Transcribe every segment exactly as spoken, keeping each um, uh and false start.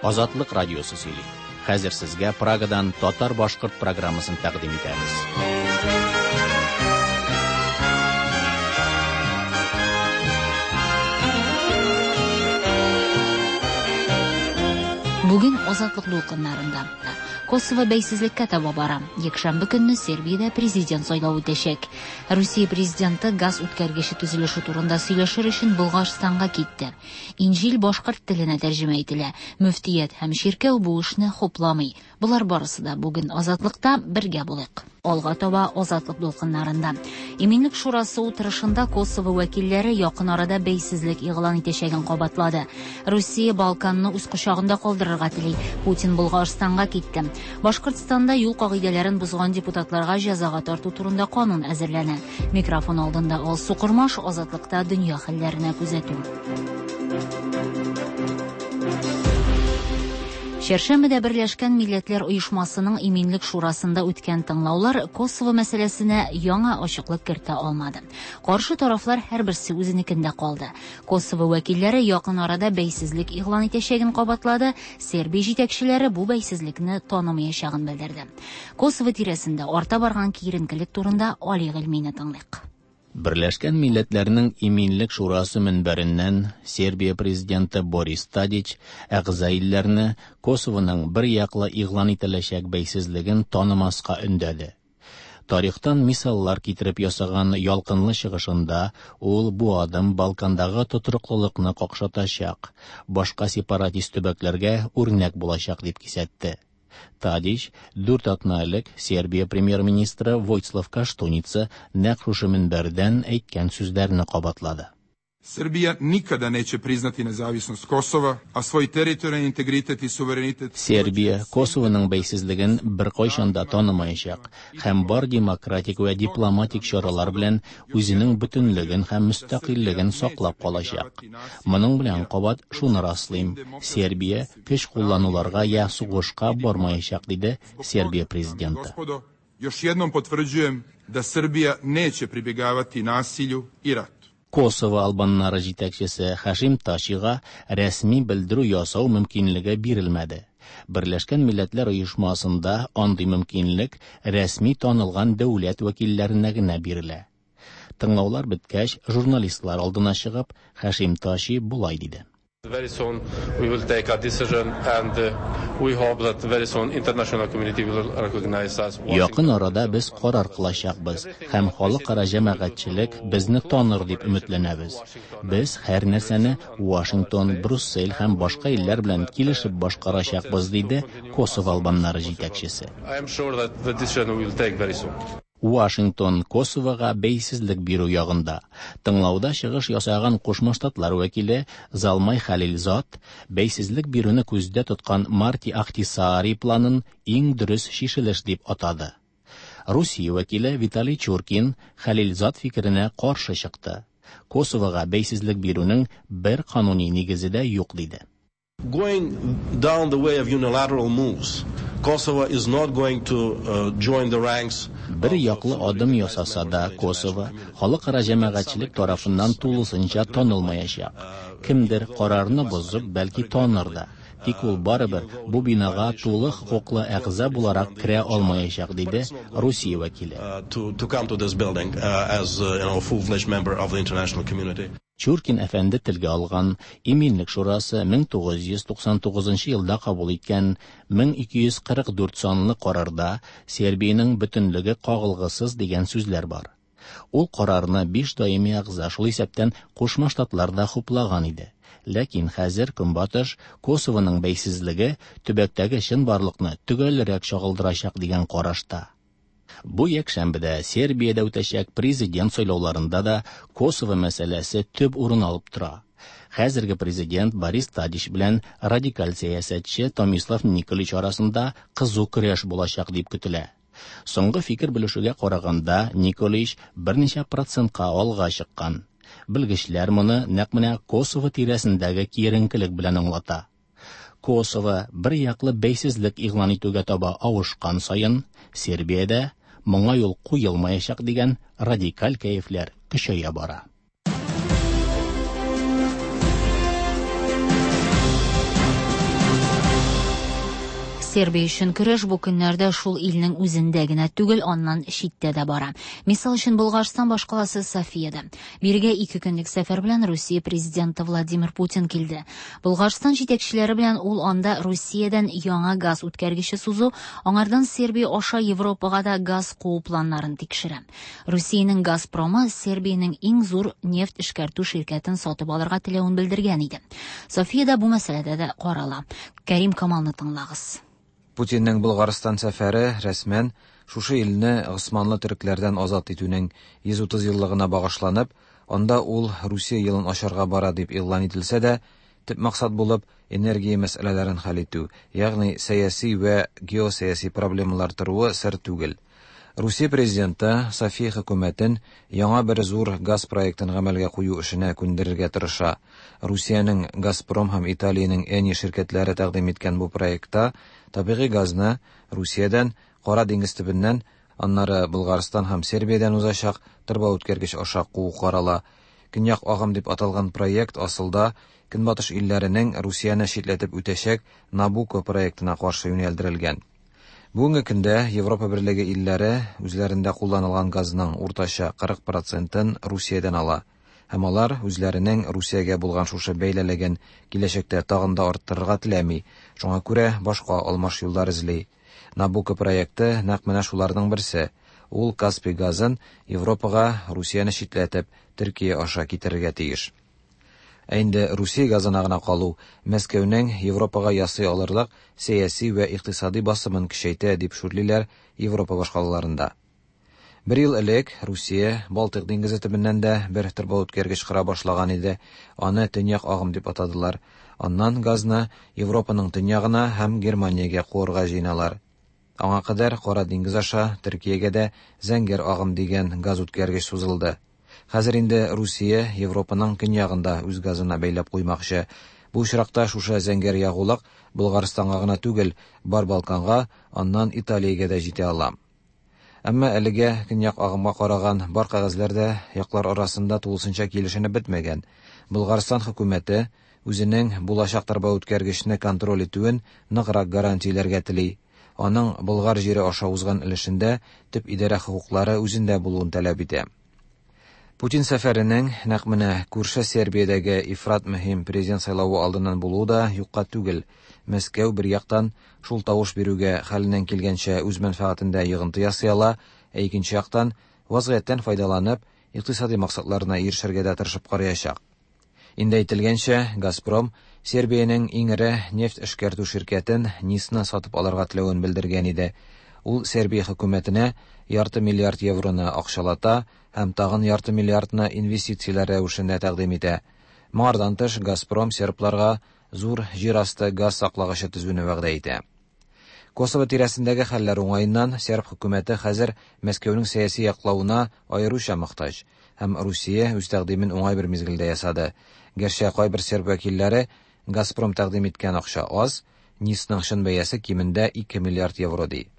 Азатлык радиосы сөйли. Хәзер сезгә Прагадан татар-башкорт программасын тәкъдим итәбез. Бүген Азатлык дулкыннарында Косово бәйсезлеккә таба бара. Якшәмбе көнне Сербиядә президент сайлавы үтәчәк. Русия президенты газ үткәргече төзелеше турында сөйләшер өчен Болгарстанга китте. Инҗил башкорт теленә тәрҗемә ителә. Мөфтият һәм чиркәү бу эшне хупламый. Болар барысы да бүген Азатлыкта бергә булыйк. Алга таба Азатлык дулкыннарында. Иминлек шурасы утырышында Косово вәкилләре якын арада бәйсезлек игълан итәчәген кабатлады. Русия Балканны үз кочагында калдырырга тели. Путин Болгарстанга китте. Башкортстанда юл кагыйдәләрен бозган депутатларга җәзага тарту турында канун әзерләнә. Микрофон алдында Алсу Кормаш, Азатлыкта дөнья хәлләренә күзәтү. Чәршәмбедә Берләшкән Милләтләр Оешмасының Иминлек Шурасында үткән тыңлаулар Косово мәсьәләсенә яңа ачыклык кертә алмады. Каршы тарафлар һәрберсе үзенекендә калды. Косово вәкилләре якын арада бәйсезлек игълан итәчәген кабатлады, Сербия җитәкчеләре бу бәйсезлекне танымаячагын белдерде. Косово тирәсендә арта барган киеренкелек турында Али Гыйльмине тыңлыйк. Берләшкән Милләтләрнең Иминлек Шурасы мөнбәреннән Сербия президенты Борис Тадич әгъза илләрне Косовоның бер яклы игълан ителәчәк бәйсезлеген танымаска өндәде. Тарихтан мисаллар китереп ясаган ялкынлы чыгышында ул бу адым Балкандагы тотрыклылыкны какшатачак, башка сепаратист төбәкләргә үрнәк булачак дип кисәтте. Тадич дүрт атна элек Сербия премьер-министры Войцлав Каштуница нәкъ шушы мөнбәрдән әйткән сүзләрне кабатлады. Srbija nikada neće priznati nezavisnost Kosova, a svoj teritorijalni integritet i suverenitet... Сербия Косовоның бәйсезлеген беркайчан да танымаячак һәм бар демократик вә дипломатик чаралар белән үзенең бөтенлеген һәм мөстәкыйльлеген саклап калачак. Моның белән кабат шуны раслыйм: Сербия көч куллануларга я сугышка бармаячак, диде Сербия президенты. Još jednom potvrđujem da Srbija neće pribjegavati nasilju i ratu. Косово албаннары җитәкчесе Хашим Ташига рәсми белдерү ясау мөмкинлеге бирелмәде. Берләшкән Милләтләр Оешмасында андый мөмкинлек рәсми танылган дәүләт вәкилләренә генә бирелә. Тыңлаулар беткәч, журналистлар алдына чыгып, Хашим Таши болай диде. Very soon we will take a decision and we hope that very soon international community will recognize us. Якын арада без карар кылачакбыз һәм халыкара җәмәгатьчелек безне таныр дип өметләнәбез. Без һәр нәрсәне Вашингтон, Брюссель һәм башка илләр белән килешеп башкарачакбыз, диде Косово албаннары җитәкчесе. I am sure that the decision we will take very soon. Вашингтон Косовога бәйсезлек бирү ягында. Тыңлауда чыгыш ясаган Кушма Штатлар вәкиле Залмай Халилзад бәйсезлек бирүне күздә тоткан Марти Ахтисаари планын иң дөрес чишелеш дип атады. Русия вәкиле Виталий Чуркин Халилзад фикеренә каршы чыкты. Косовога бәйсезлек бирүнең бер кануни нигезе дә юк, диде. Going down the way of unilateral moves, Kosovo is not going to uh, join the ranks. Бер яклы адым ясаса да, Косово халыкара җәмәгатьчелек тарафыннан тулысынча танылмаячак. Кемдер карарны бозып, бәлки таныр да. Тик ул барыбер бу бинага тулы хокуклы әгъза буларак керә алмаячак, диде Русия вәкиле. To, to come to this building uh, as uh, you know, a full-fledged member of the international community. Чуркин әфәнде телгә алган Иминлек Шурасы мең тугыз йөз туксан тугызынчы елда кабул иткән мең ике йөз кырык дүрт санлы карарда Сербиянең бөтенлеге кагылгысыз дигән сүзләр бар. Ул карарны биш даими әгъза, шул исәптән Кушма Штатлар да хуплаган иде. Ләкин хәзер Көнбатыш Косовоның бәйсезлеге төбәктәге чынбарлыкны төгәлрәк чагылдырачак дигән карашта. Бу якшәмбедә Сербиядә үтәчәк президент сайлауларында да Косово мәсьәләсе төп урын алып тора. Хәзерге президент Борис Тадич белән радикаль сәясәтче Томислав Николич арасында кызу көрәш булачак дип көтелә. Соңгы фикер белешүгә караганда, Николич берничә процентка алга чыккан. Белгечләр моны нәкъ менә Косово тирәсендәге киеренкелек белән аңлата. Косово бер яклы бәйсезлек игълан итүгә таба авышкан саен, Сербиядә моңа юл куелмаячак дигән радикаль кәефләр көчәя бара. Сербия өчен көрәш бу көннәрдә шул илнең үзендә генә түгел, аннан читтә дә бара. Мисал өчен, Болгарстан башкаласы Софиядә. Бирегә ике көнлек сәфәр белән Русия президенты Владимир Путин килде. Болгарстан җитәкчеләре белән ул анда Русиядән яңа газ үткәргече сузу, аңардан Сербия аша Европага да газ куу планнарын тикшерә. Русиянең Газпромы Сербиянең иң зур нефть эшкәртү ширкәтен сатып алырга теләвен белдергән иде. Софиядә бу мәсьәләдә дә карала. Кәрим Камалны тыңлагыз. Путинның Болгарстан сәфәре рәсмән шушы илне госманлы төрекләрдән азат итүнең йөз утыз еллыгына багышланып, анда ул Русия елын ачарга бара дип игълан ителсә дә, төп максат булып энергия мәсьәләләрен хәл итү, ягъни сәяси вә геосәяси проблемалар торуы сер түгел. Русия президенты София хөкүмәтен яңа бер зур газ проектын гамәлгә кую эшенә күндерергә тырыша. Русиянең Газпром һәм Италиянең Эни ширкәтләре тәкъдим иткән бу проектта табигый газны Русиядән, Кара диңгез төбеннән, аннары Болгарстан һәм Сербиядән узачак торба үткәргеч аша куу карала. Көньяк агым дип аталган проект асылда Көнбатыш илләренең Русияне читләтеп үтәчәк Набуко проектына каршы юнәлдерелгән. Бүгенге көндә Европа Берлеге илләре үзләрендә кулланылган газның уртача кырык процентын Русиядән ала. Һәм алар үзләренең Русиягә булган шушы бәйлелеген киләчәктә тагын да арттырырга теләми, шуңа күрә башка алмаш юллар эзли. Набуко проекты нәкъ менә шуларның берсе. Ул Каспий газын Европага Русияне читләтеп, Төркия аша китерергә тиеш. Ә инде Русия газына гына калу Мәскәүнең Европага ясый алырлык сәяси вә икътисади басымын көчәйтә дип шүрлиләр Европа башкалаларында. Бер ел элек Русия Балтыйк диңгезе төбеннән дә бер торба үткәргеч кыра башлаган иде. Аны Төньяк агым дип атадылар. Аннан газны Европаның төньягына һәм Германиягә куырга җыеналар. Аңа кадәр Кара диңгез аша Төркиягә дә Зәңгәр агым дигән газ үткәргеч сузылды. Хәзер инде Русия Европаның көньягында үз газына бәйләп куймакчы. Бу очракта шушы зәңгәр ягулык Болгарстанга гына түгел, бар Балканга, аннан Италиягә дә җитә ала. Әмма әлегә көньяк агымга караган бар кәгазьләр дә яклар арасында тулысынча килешенеп бетмәгән. Болгарстан хөкүмәте үзенең булачак торба үткәргечне контроль итүен ныграк гарантияләргә тели. Аның Болгар җире аша узган өлешендә төп идарә хокуклары үзендә булуын таләп итә. Путин сәфәренең нәкъ менә күрше Сербиядәге ифрат мөһим президент сайлавы алдыннан булуы да юкка түгел. Мәскәү бер яктан шул тавыш бирүгә хәленнән килгәнчә үз мәнфәгатендә йогынты ясый ала, ә икенче яктан вазгыятьтән файдаланып, икътисади максатларына ирешергә дә тырышып караячак. Инде әйтелгәнчә, Газпром Сербиянең иң эре нефть эшкәртү ширкәтен Нисны сатып алырга теләвен белдергән иде. Ул Сербия хөкүмәтенә ярты миллиард евроны акчалата һәм тагын ярты миллиардны инвестицияләр рәвешендә тәкъдим итә. Моңардан тыш Газпром сербларга зур җир асты газ саклагычы төзүне вәгъдә итә. Косово тирәсендәге хәлләр уңаеннан серб хөкүмәте хәзер Мәскәүнең сәяси яклавына аеруча мохтаҗ һәм Русия үз тәкъдимен уңай бер мизгелдә ясады. Гәрчә кайбер серб вәкилләре Газпром тәкъдим иткән акча аз, Нисның чын бәясе кимендә ике миллиард евро ди.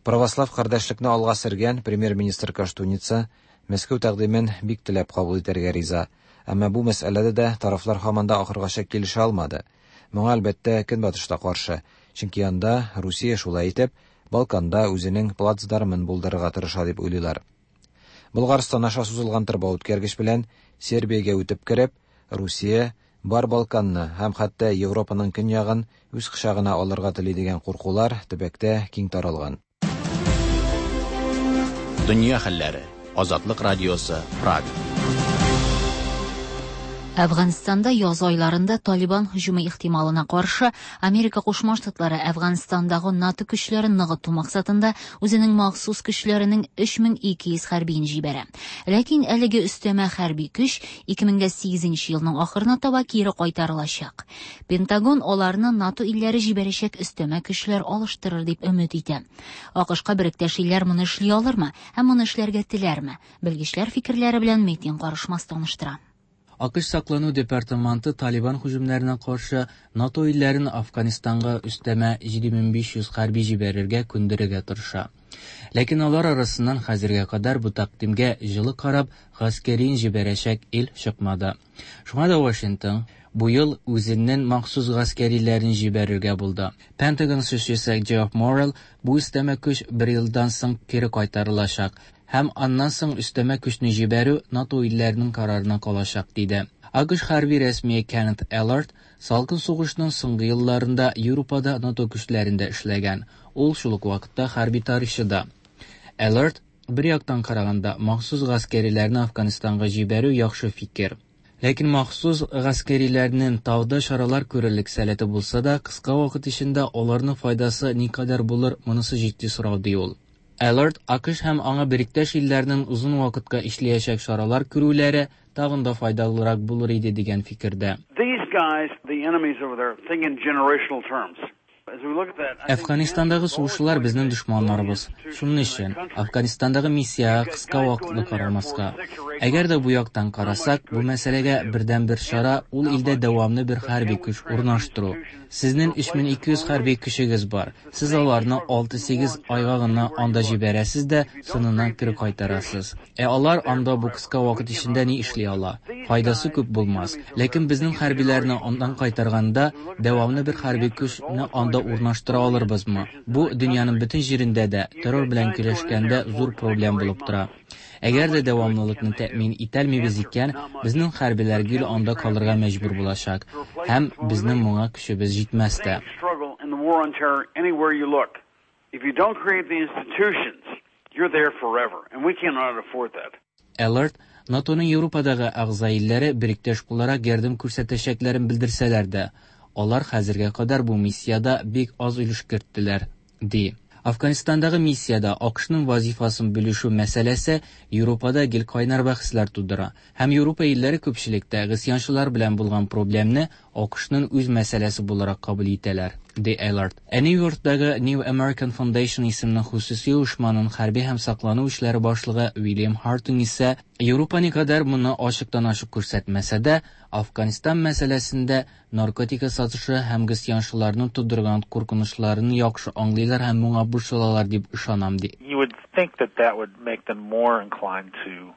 Православ кардәшлекне алга сөргән премьер-министр Каштуница Мәскәү тәкъдимен бик теләп кабул итәргә риза. Әмма бу мәсьәләдә дә тарафлар һаман да ахыргача килешә алмады. Моңа әлбәттә Көнбатышта каршы, чөнки анда Русия шулай итеп Балканда үзенең плацдармын булдырырга тырыша дип уйлыйлар. Болгарстан аша сузылган торба үткәргеч белән Сербиягә үтеп кереп, Русия бар Балканны һәм хәтта Европаның көньягын үз кочагына алырга тели дигән куркулар төбәктә киң таралган. Дөнья хәлләре. Азатлык радиосы, Прага. Әфганстанда яз айларында Талибан һөҗүме ихтималына каршы Америка Кушма Штатлары Әфганстандагы НАТО көчләрен ныгыту максатында үзенең махсус көчләренең өч мең ике йөз хәрбиен җибәрә. Ләкин әлеге өстәмә хәрби көч ике мең сигезенче елның ахырына таба кире кайтарылачак. Пентагон аларны НАТО илләре җибәрәчәк өстәмә көчләр алыштырыр дип өмет итә. АКШка беректәш илләр моны эшли алырмы һәм моны эшләргә теләрме? Белгечләр фикерләре белән Метин Карышмас таныштыра. АКШ Саклану департаменты Талибан һөҗүмнәренә каршы НАТО илләрен Афганистанга өстәмә җиде мең биш йөз хәрби җибәрергә күндерергә тырыша. Ләкин алар арасыннан хәзергә кадәр бу тәкъдимгә җылы карап, гаскәрин җибәрәчәк ил чыкмады. Шуңа да Вашингтон бу ел үзенең махсус гаскәриләрен җибәрергә булды. Пентагон сүзчесе Джефф Моррелл бу өстәмә көч бер елдан соң кире кайтарылачак һәм аннан соң өстәмә көчне җибәрү НАТО илләренең карарына калачак диде. АКШ хәрби рәсмие Кеннет Эллард салкын сугышның соңгы елларында Европада НАТО көчләрендә эшләгән. Ул шул ук вакытта хәрби тарихчы да. Эллард бер яктан караганда махсус гаскәриләрне Афганистанга җибәрү яхшы фикер. Ләкин махсус гаскәриләрнең тауда чаралар күрерлек сәләте булса да, кыска вакыт эчендә аларның файдасы никадәр булыр, монысы җитди сорау ди ул. Эллард АКШ һәм аңа бериктәш илләрнең озын вакытка эшләячәк чаралар күрүләре тагын да файдалырак булыр иде дигән фикердә. These guys, the enemies over there, think in generational terms. As we look at that, I think Әфганистандагы сугышчылар безнең дошманнарыбыз. Шуның өчен Афганистандагы миссиягә кыска вакытлы карамаска. Әгәр дә бу яктан карасак, бу мәсьәләгә бердән-бер чара ул илдә дәвамлы бер хәрби көч урнаштыру. Сезнең өч мең ике йөз хәрби көчегез бар. Сез аларны алты-сигез айга гына анда җибәрәсез дә, соңыннан кире кайтарасыз. Ә алар анда бу кыска вакыт эчендә ни эшли ала? Файдасы күп булмас. Ләкин безнең хәрбиләрне аннан кайтарганда дәвамлы бер хәрби көчне анда урнаштыра алырбызмы? Бу дөньяның бөтен җирендә дә террор белән көрәшкәндә зур проблем булып тора. Әгәр дә дәвамлылыкны тәэмин итәлмибез икән, безнең хәрбиләр гел анда калырга мәҗбүр булачак һәм безнең моңа көчебез җитмәс тә. struggle in the war on terror anywhere you look. If you don't create the institutions, you're there forever, and we cannot afford that. Эллард НАТОның Европадагы әгъза илләре бериктәш буларак ярдәм күрсәтәчәкләрен белдерсәләр дә, алар хәзергә кадәр бу миссиядә бик аз өлеш керттеләр, ди. Афганистандагы миссиядә АКШның вазифасын бүлешү мәсьәләсе Европада гел кайнар бәхәсләр тудыра. Һәм Европа илләре күпчелектә гыйсьянчылар белән булган проблемны АКШның үз мәсьәләсе буларак кабул итәләр, ди Эллард. Ә Нью-Йорктагы New American Foundation исемле хосуси оешманың хәрби һәм саклану эшләре башлыгы Уильям Хартунг исә Европа никадәр моны ачыктан-ачык күрсәтмәсә дә, Афганистан мәсьәләсендә наркотика сатышы һәм гыйсьянчыларның тудырган куркынычларын яхшы аңлыйлар һәм моңа борчылалар дип ышанам, ди. You would think that that would make them more inclined to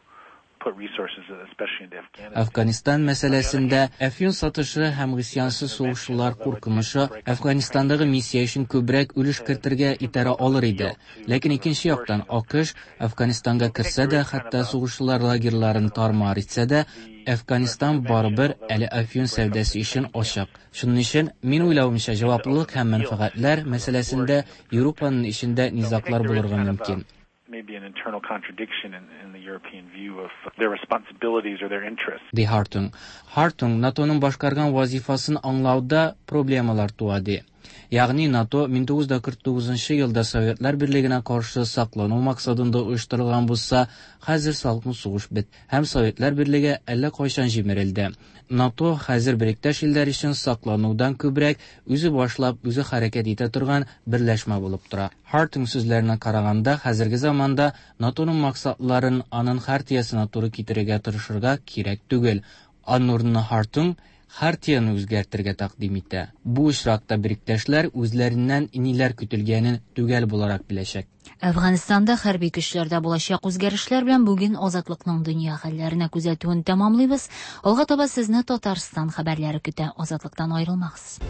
put resources, especially into Afghanistan. Афганистан мәсьәләсендә әфьюн сатышы һәм гыйсьянчы сугышчылар куркынычы Афганистандагы миссия өчен күбрәк өлеш кертергә итәрә алыр иде. Ләкин икенче яктан АКШ Афганистанга керсә дә, хәтта сугышчылар лагерьларын тармар итсә дә, Афганистан барыбер әле әфьюн сәүдәсе өчен ачык. Шуның өчен мин уйлавымча, җаваплылык һәм мәнфәгатьләр мәсьәләсендә Европаның эчендә низаглар булырга мөмкин. Maybe an internal contradiction in, in the European view of their responsibilities or their interests. Ди Хартунг. Хартунг НАТОның башкарган вазифасын аңлауда проблемалар туа ди. Ягъни НАТО мең тугыз йөз кырык тугызынчы елда Советлар Берлегенә каршы саклану максатында оештырылган булса, хәзер салкын сугыш бит һәм Советлар Берлеге әллә кайчан җимерелде. НАТО хәзер бериктәш илләр өчен сакланудан күбрәк үзе башлап, үзе хәрәкәт итә торган берләшмә булып тора. Хартунг сүзләренә караганда, хәзерге заманда НАТОның максатларын аның хартиясенә туры китерергә тырышырга кирәк түгел. Аның урынына Хартунг хартияны үзгәртергә тәкъдим итә. Бу очракта бериктәшләр үзләреннән ниләр көтелгәнен төгәл буларак беләчәк. Әфганстанда хәрби көчләрдә булачак үзгәрешләр белән бүген Азатлыкның дөнья хәлләренә күзәтүен тәмамлыйбыз. Алга таба сезне Татарстан хәбәрләре көтә. Азатлыктан аерылмагыз.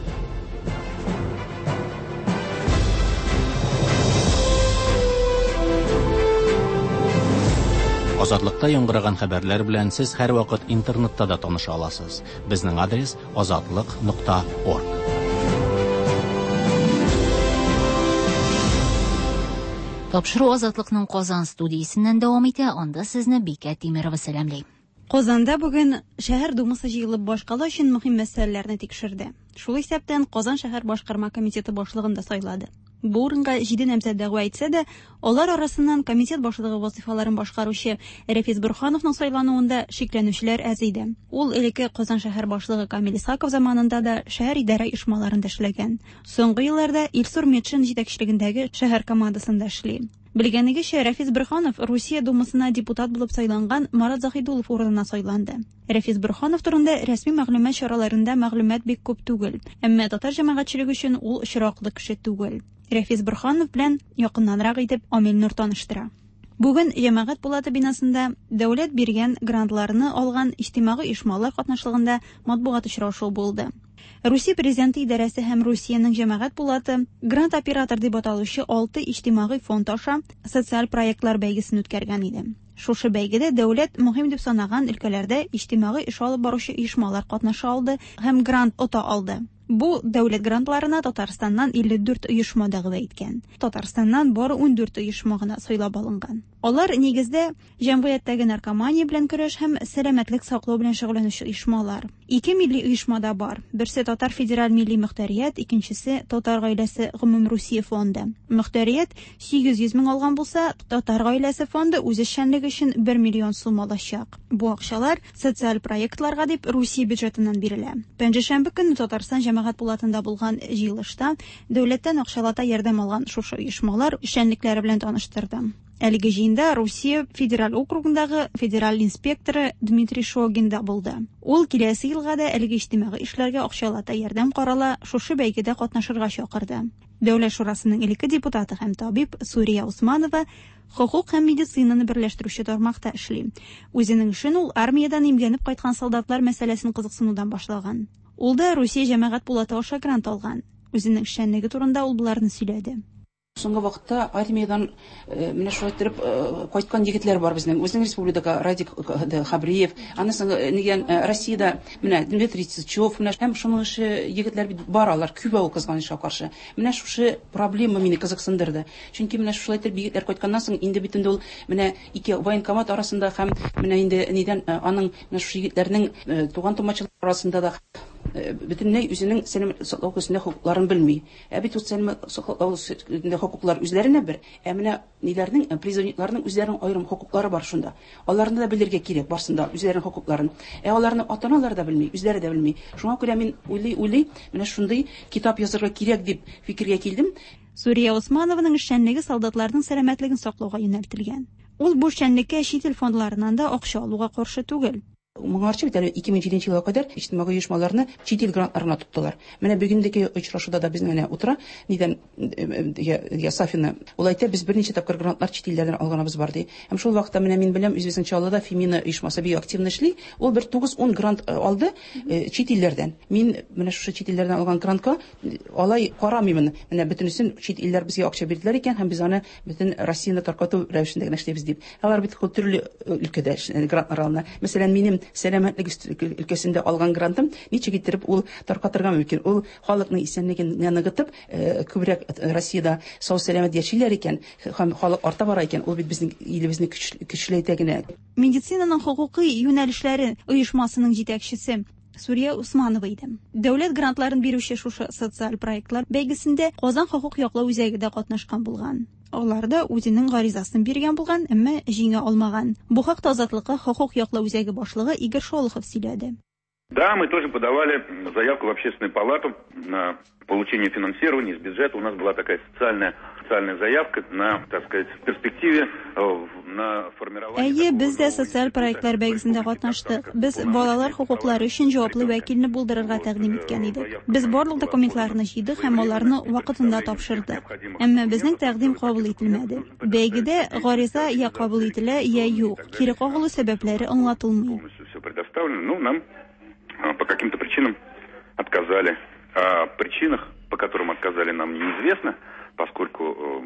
Азатлыкта яңгыраган хәбәрләр белән сез һәр вакыт интернетта да таныша аласыз. Безнең адрес азатлык нокта орг. Тапшыру Азатлыкның Казан студиясеннән дәвам итә. Анда сезне Бикә Тимирова сәламли. Казанда бүген шәһәр думасы җыелып башкала өчен мөһим мәсьәләләрне тикшерде. Шул исәптән Казан шәһәр башкарма комитеты башлыгын да сайлады. Бу урынга җиде намзәт дәгъва итсә дә, алар арасыннан комитет башлыгы вазифаларын башкаручы Рәфис Борһановның сайлануында шикләнүчеләр әз иде. Ул элекке Казан шәһәр башлыгы Камил Исхаков заманында да шәһәр идарә оешмаларында эшләгән. Соңгы елларда Илсур Метшин җитәкчелегендәге шәһәр командасында эшли. Белгәнегезчә, Рәфис Борһанов Русия Думасына депутат булып сайланган Марат Заһидуллов урынына сайланды. Рәфис Борһанов турында рәсми мәгълүмат чараларында мәгълүмат бик күп түгел, әмма татар җәмәгатьчелеге өчен ул очраклы кеше түгел. Рәфис Борһанов белән якыннанрак итеп Амил Нур таныштыра. Бүген Җәмәгать пулаты бинасында дәүләт биргән грантларны алган иҗтимагый оешмалар катнашлыгында матбугат очрашуы булды. Русия президенты идарәсе һәм Русиянең җәмәгать пулаты грант оператор дип аталучы алты иҗтимагый фонд аша социаль проектлар бәйгесен үткәргән иде. Шушы бәйгедә дәүләт мөһим дип санаган өлкәләрдә иҗтимагый эш алып баручы оешмалар катнаша алды һәм грант ота алды. Бу дәүләт грантларына Татарстаннан илле дүрт оешма дәгъва иткән. Татарстаннан бары ун дүрт оешма гына сайлап алынган. Алар нигездә җәмгыятьтәге наркомания белән көрәш һәм сәламәтлек саклау белән шөгыльләнүче оешмалар. Ике милли оешма да бар. Берсе Татар федераль милли мөхтәрият, икенчесе Татар гаиләсе гомумрусия фонды. Мөхтәрият сигез йөз мең алган булса, Татар гаиләсе фонды үз эшчәнлеге өчен бер миллион сум алачак. Бу акчалар социаль проектларга дип Русия бюджетыннан бирелә. Пәнҗешәмбе көнне Татарстан җәмәгать пулатында булган җыелышта дәүләттән акчалата ярдәм алган шушы оешмалар эшчәнлекләре белән таныштырды. Әлеге җыенда Русия федераль округындагы федераль инспекторы Дмитрий Шогин да булды. Ул киләсе елга да әлеге иҗтимагый эшләргә акчалата ярдәм карала, шушы бәйгедә катнашырга чакырды. Дәүләт шурасының элекке депутаты һәм табиб Сурия Усманова хокук һәм медицинаны берләштерүче тармакта эшли. Үзенең эшен ул армиядән имгәнеп кайткан солдатлар мәсьәләсен кызыксынудан башлаган. Ул да Русия җәмәгать пулаты аша грант алган. Үзенең эшчәнлеге турында ул боларны сөйләде. Соңгы вакытта армиядан менә шулай иттереп кайткан егетләр бар безнең. Үзенең республикада Радик Хабриев, анысы нигән Россиядә менә Дмитрий Сычев, менә һәм шуның ише егетләр бит бар, алар күп ул кызганычка каршы. Менә шушы проблема мине кызыксындырды. Чөнки менә шулай итеп егетләр кайтканнан соң инде бит инде ул менә ике военкомат арасында һәм менә инде нидән аның менә шушы егетләрнең туган тумачалар арасында да бөтенләй үзенең сәламәтлек саклау өлкәсендә хокукларын белми. Ә бит ул сәламәтлек саклау өлкәсендә хокуклар үзләренә бер, ә менә ниләрнең, призывникларның үзләренең аерым хокуклары бар шунда. Аларны да белергә кирәк барсында үзләренең хокукларын. Ә аларны ата-аналар да белми, үзләре дә белми. Шуңа күрә мин уйлый-уйлый менә шундый китап язарга кирәк дип фикергә килдем. Сурия Усманованың эшчәнлеге солдатларның сәламәтлеген саклауга юнәлтелгән. Ул бу эшчәнлеккә чит ил фондларыннан да акча алуга каршы түгел. Моңарчы бит әле ике мең җиденче елга кадәр иҗтимагый оешмаларны чит ил грантларына тоттылар. Менә бүгенге очрашуда да безнең менә утыра, нидән Сафина. Ул әйтә, без берничә тапкыр грантлар чит илләрдән алганыбыз бар ди. Һәм шул вакытта менә мин беләм, үзебезнең Чаллыда Фемина оешмасы бик активно эшли. Ул бер тугыз-ун грант алды чит илләрдән. Мин менә шушы чит илләрдән алган грантка алай карамыймын. Менә бөтенесен чит илләр безгә акча бирделәр икән һәм без аны бөтен Россияне таркату рәвешендә генә эшлибез дип. Алар бит төрле өлкәдә грантлар алына. Мәсәлән, минем сәламәтлек өлкәсендә алган грантым ничек иттереп ул таркатырга мөмкин? Ул халыкның исәнлеген ныгытып, күбрәк Россиядә сау сәламәт яшиләр икән һәм халык арта бара икән, ул бит безнең илебезне көчләйтә генә. Медицинаның хокукый юнәлешләре оешмасының җитәкчесе Сурия Усманова иде. Дәүләт грантларын бирүче шушы социаль проектлар бәйгесендә Казан хокук яклау үзәге дә катнашкан булган. Алар да үзенең гаризасын биргән булган, әмма җиңә алмаган. Бу хакта Азатлыкка хокук яклау үзәге башлыгы Игорь Шолохов сөйләде. Да, мы тоже подавали заявку в Общественную палату на получение финансирования из бюджета. У нас была такая социальная, социальная заявка на, так сказать, в перспективе на формирование... Әйе, без дә социаль проектлар бәйгесендә катнаштык. Без балалар хокуклары өчен җаваплы вәкилне булдырырга тәкъдим иткән идек. Без барлык документларны җыйдык һәм аларны вакытында тапшырдык. Әмма безнең тәкъдим кабул ителмәде. Бәйгедә гариза я кабул ителә, я юк. Кире кагылу сәбәпләре аңлатылмый. Все предоставлено, но нам по каким-то причинам отказали. О причинах, по которым отказали, нам неизвестно, поскольку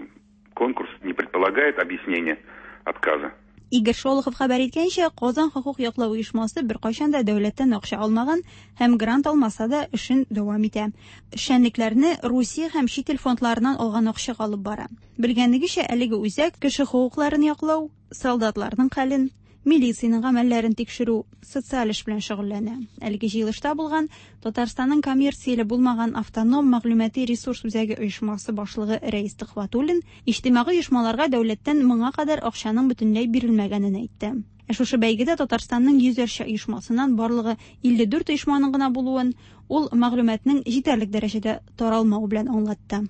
конкурс не предполагает объяснения отказа. Игорь Шолохов хәбәр иткәнчә, Казан хокук яклау оешмасы беркайчан да дәүләттән акча алмаган һәм грант алмаса да эшен дәвам итә. Эшчәнлекләрне Русия һәм чит ил фондларыннан алган акчага алып бара. Белгәнегезчә, әлеге үзәк кеше хокукларын яклау, солдатларның хәлен, милициянең гамәлләрен тикшерү, социаль эш белән шөгыльләнә. Әлеге җыелышта булган Татарстанның коммерцияле булмаган автоном мәгълүмати ресурс үзәге оешмасы башлыгы Рәис Төхвәтуллин иҗтимагый оешмаларга дәүләттән моңа кадәр акчаның бөтенләй бирелмәгәнен әйтте. Ә шушы бәйгедә Татарстанның йөзәрчә оешмасыннан барлыгы илле дүрт оешманың гына булуын ул мәгълүматның җитәрлек дәрәҗәдә таралмавы белән аңлатты.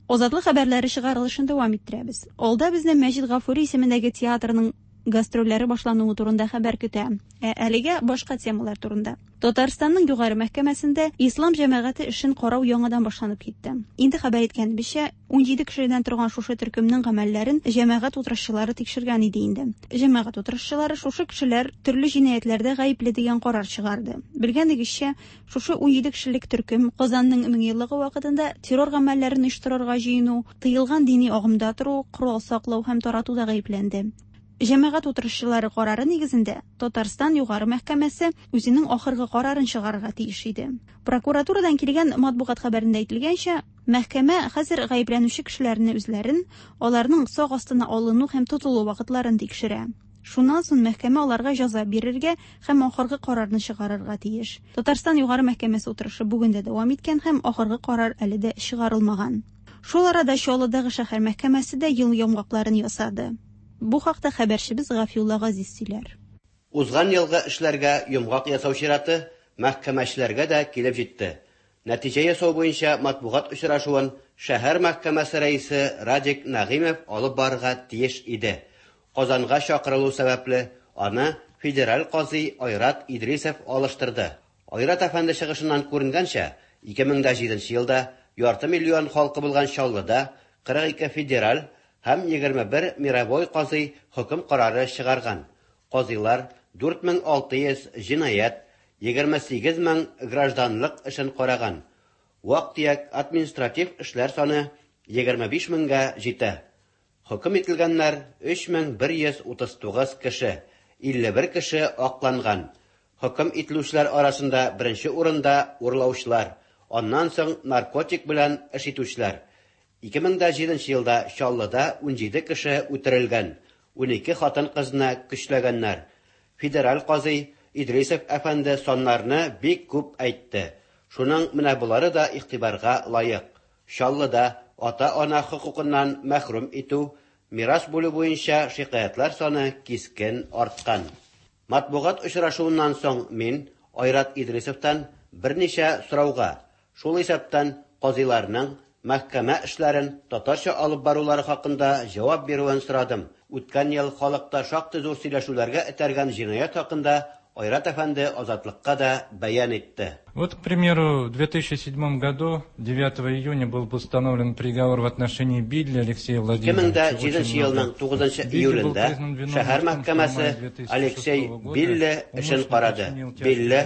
Азатлык хәбәрләре чыгарылышын дәвам иттерәбез. Алда безне Мәҗит Гафури исемендәге театрның гастрольләре башлануы турында хәбәр көтә. Ә әлегә башка темалар турында. Татарстанның югары мәхкәмәсендә ислам җәмәгате эшен карау яңадан башланып китте. Инде хәбәр иткәнебезчә, унҗиде кешедән торган шушы төркемнең гамәлләрен җәмәгать утырышчылары тикшергән иде инде. Җәмәгать утырышчылары шушы кешеләр төрле җинаятьләрдә гаепле дигән карар чыгарды. Белгәнегезчә, шушы унҗиде кешелек төркем Казанның меңьеллыгы вакытында террор гамәлләрен оештырырга җыену, тыелган дини агымда тору, корал саклау һәм таратуда гаепләнде. Җәмәгать утырышчылары карары нигезендә Татарстан югары мәхкәмәсе үзенең ахыргы карарын чыгарырга тиеш иде. Прокуратурадан килгән матбугат хәбәрендә әйтелгәнчә, мәхкәмә хәзер гаепләнүче кешеләрне үзләрен, аларның сак астына алыну һәм тотылу вакытларын тикшерә. Шуннан соң мәхкәмә аларга җәза бирергә һәм ахыргы карарны чыгарырга тиеш. Татарстан югары мәхкәмәсе утырышы бүген дә дәвам иткән һәм ахыргы карар әле дә чыгарылмаган. Шул арада Чаллыдагы шәһәр мәхкәмәсе дә ел йомгакларын ясады. Бу хакта хәбәрчебез Гафиулла Газиз сөйләр. Узган елгы эшләргә йомгак ясау чираты мәхкәмәчеләргә дә килеп җитте. Нәтиҗә ясау буенча матбугат очрашуын шәһәр мәхкәмәсе рәисе Радик Нәгыймов алып барырга тиеш иде. Казанга чакырылу сәбәпле аны федераль казый Айрат Идрисов алыштырды. Айрат әфәнде чыгышыннан күренгәнчә, ике мең дә җиденче елда ярты миллион халкы булган Чаллыда кырык ике федераль һәм егерме бер мировой казый хөкем карары чыгарган. Казыйлар дүрт мең алты йөз җинаять, егерме сигез мең гражданлык эшен караган. Вак-төяк административ эшләр саны егерме биш меңгә җитә. Хөкем ителгәннәр өч мең бер йөз утыз тугыз кеше, илле бер кеше акланган. Хөкем ителүчеләр арасында беренче урында урлаучылар, аннан соң наркотик белән эш итүчеләр. Ике мең дә җиденче елда Чаллыда унҗиде кеше үтерелгән, унике хатын-кызны көчләгәннәр. Федераль казый Идрисов әфәнде саннарны бик күп әйтте. Шуның менә булары да игътибарга лаек. Чаллыда ата-ана хокукыннан мәхрүм итү, мирас бүлү буенча шикаятьләр саны кискен арткан. Матбугат очрашуыннан соң мин Айрат Идрисовтан берничә сорауга, шул исәптән казыйларның мәхкәмә эшләрен татарча алып барулары хакында җавап бирүен сорадым. Үткән ел халыкта шактый зур сөйләшүләргә этәргән җинаять хакында Айрат әфәнде Азатлыкка да бәян итте. Вот, к примеру, в две тысячи седьмом году, девятого июня, был постановлен приговор в отношении Билли Алексея Ике мең дә Владимировича. җиденче елның тугызынчы июлендә шәһәр мәхкәмәсе Алексей Билли эшен карады. Билли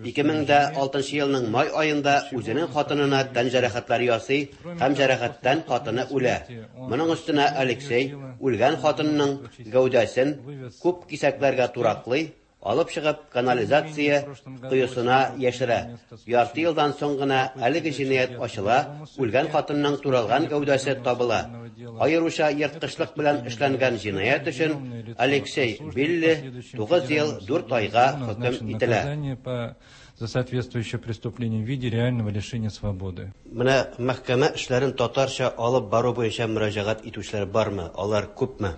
ике мең дә алтынчы елның май аенда үзенең хатынына тән җәрәхәтләре ясый һәм җәрәхәттән хатыны үлә. Моның өстенә Алексей үлгән хатынының гәүдәсен күп кисәкләргә тураклый, алып чыгып канализация коесына яшерә. Ярты елдан соң гына әлеге җинаять ачыла, үлгән хатынның туралган гәүдәсе табыла. Аеруча ерткычлык белән эшләнгән җинаять өчен Алексей Билли тугыз ел дүрт айга хөкем ителә. За соответствующее преступление в виде реального лишения свободы. Менә мәхкәмә эшләрен татарча алып бару буенча мөрәҗәгать итүчеләр бармы? Алар күпме?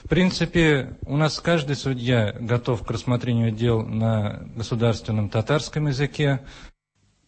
В принципе, у нас каждый судья готов к рассмотрению дел на государственном татарском языке.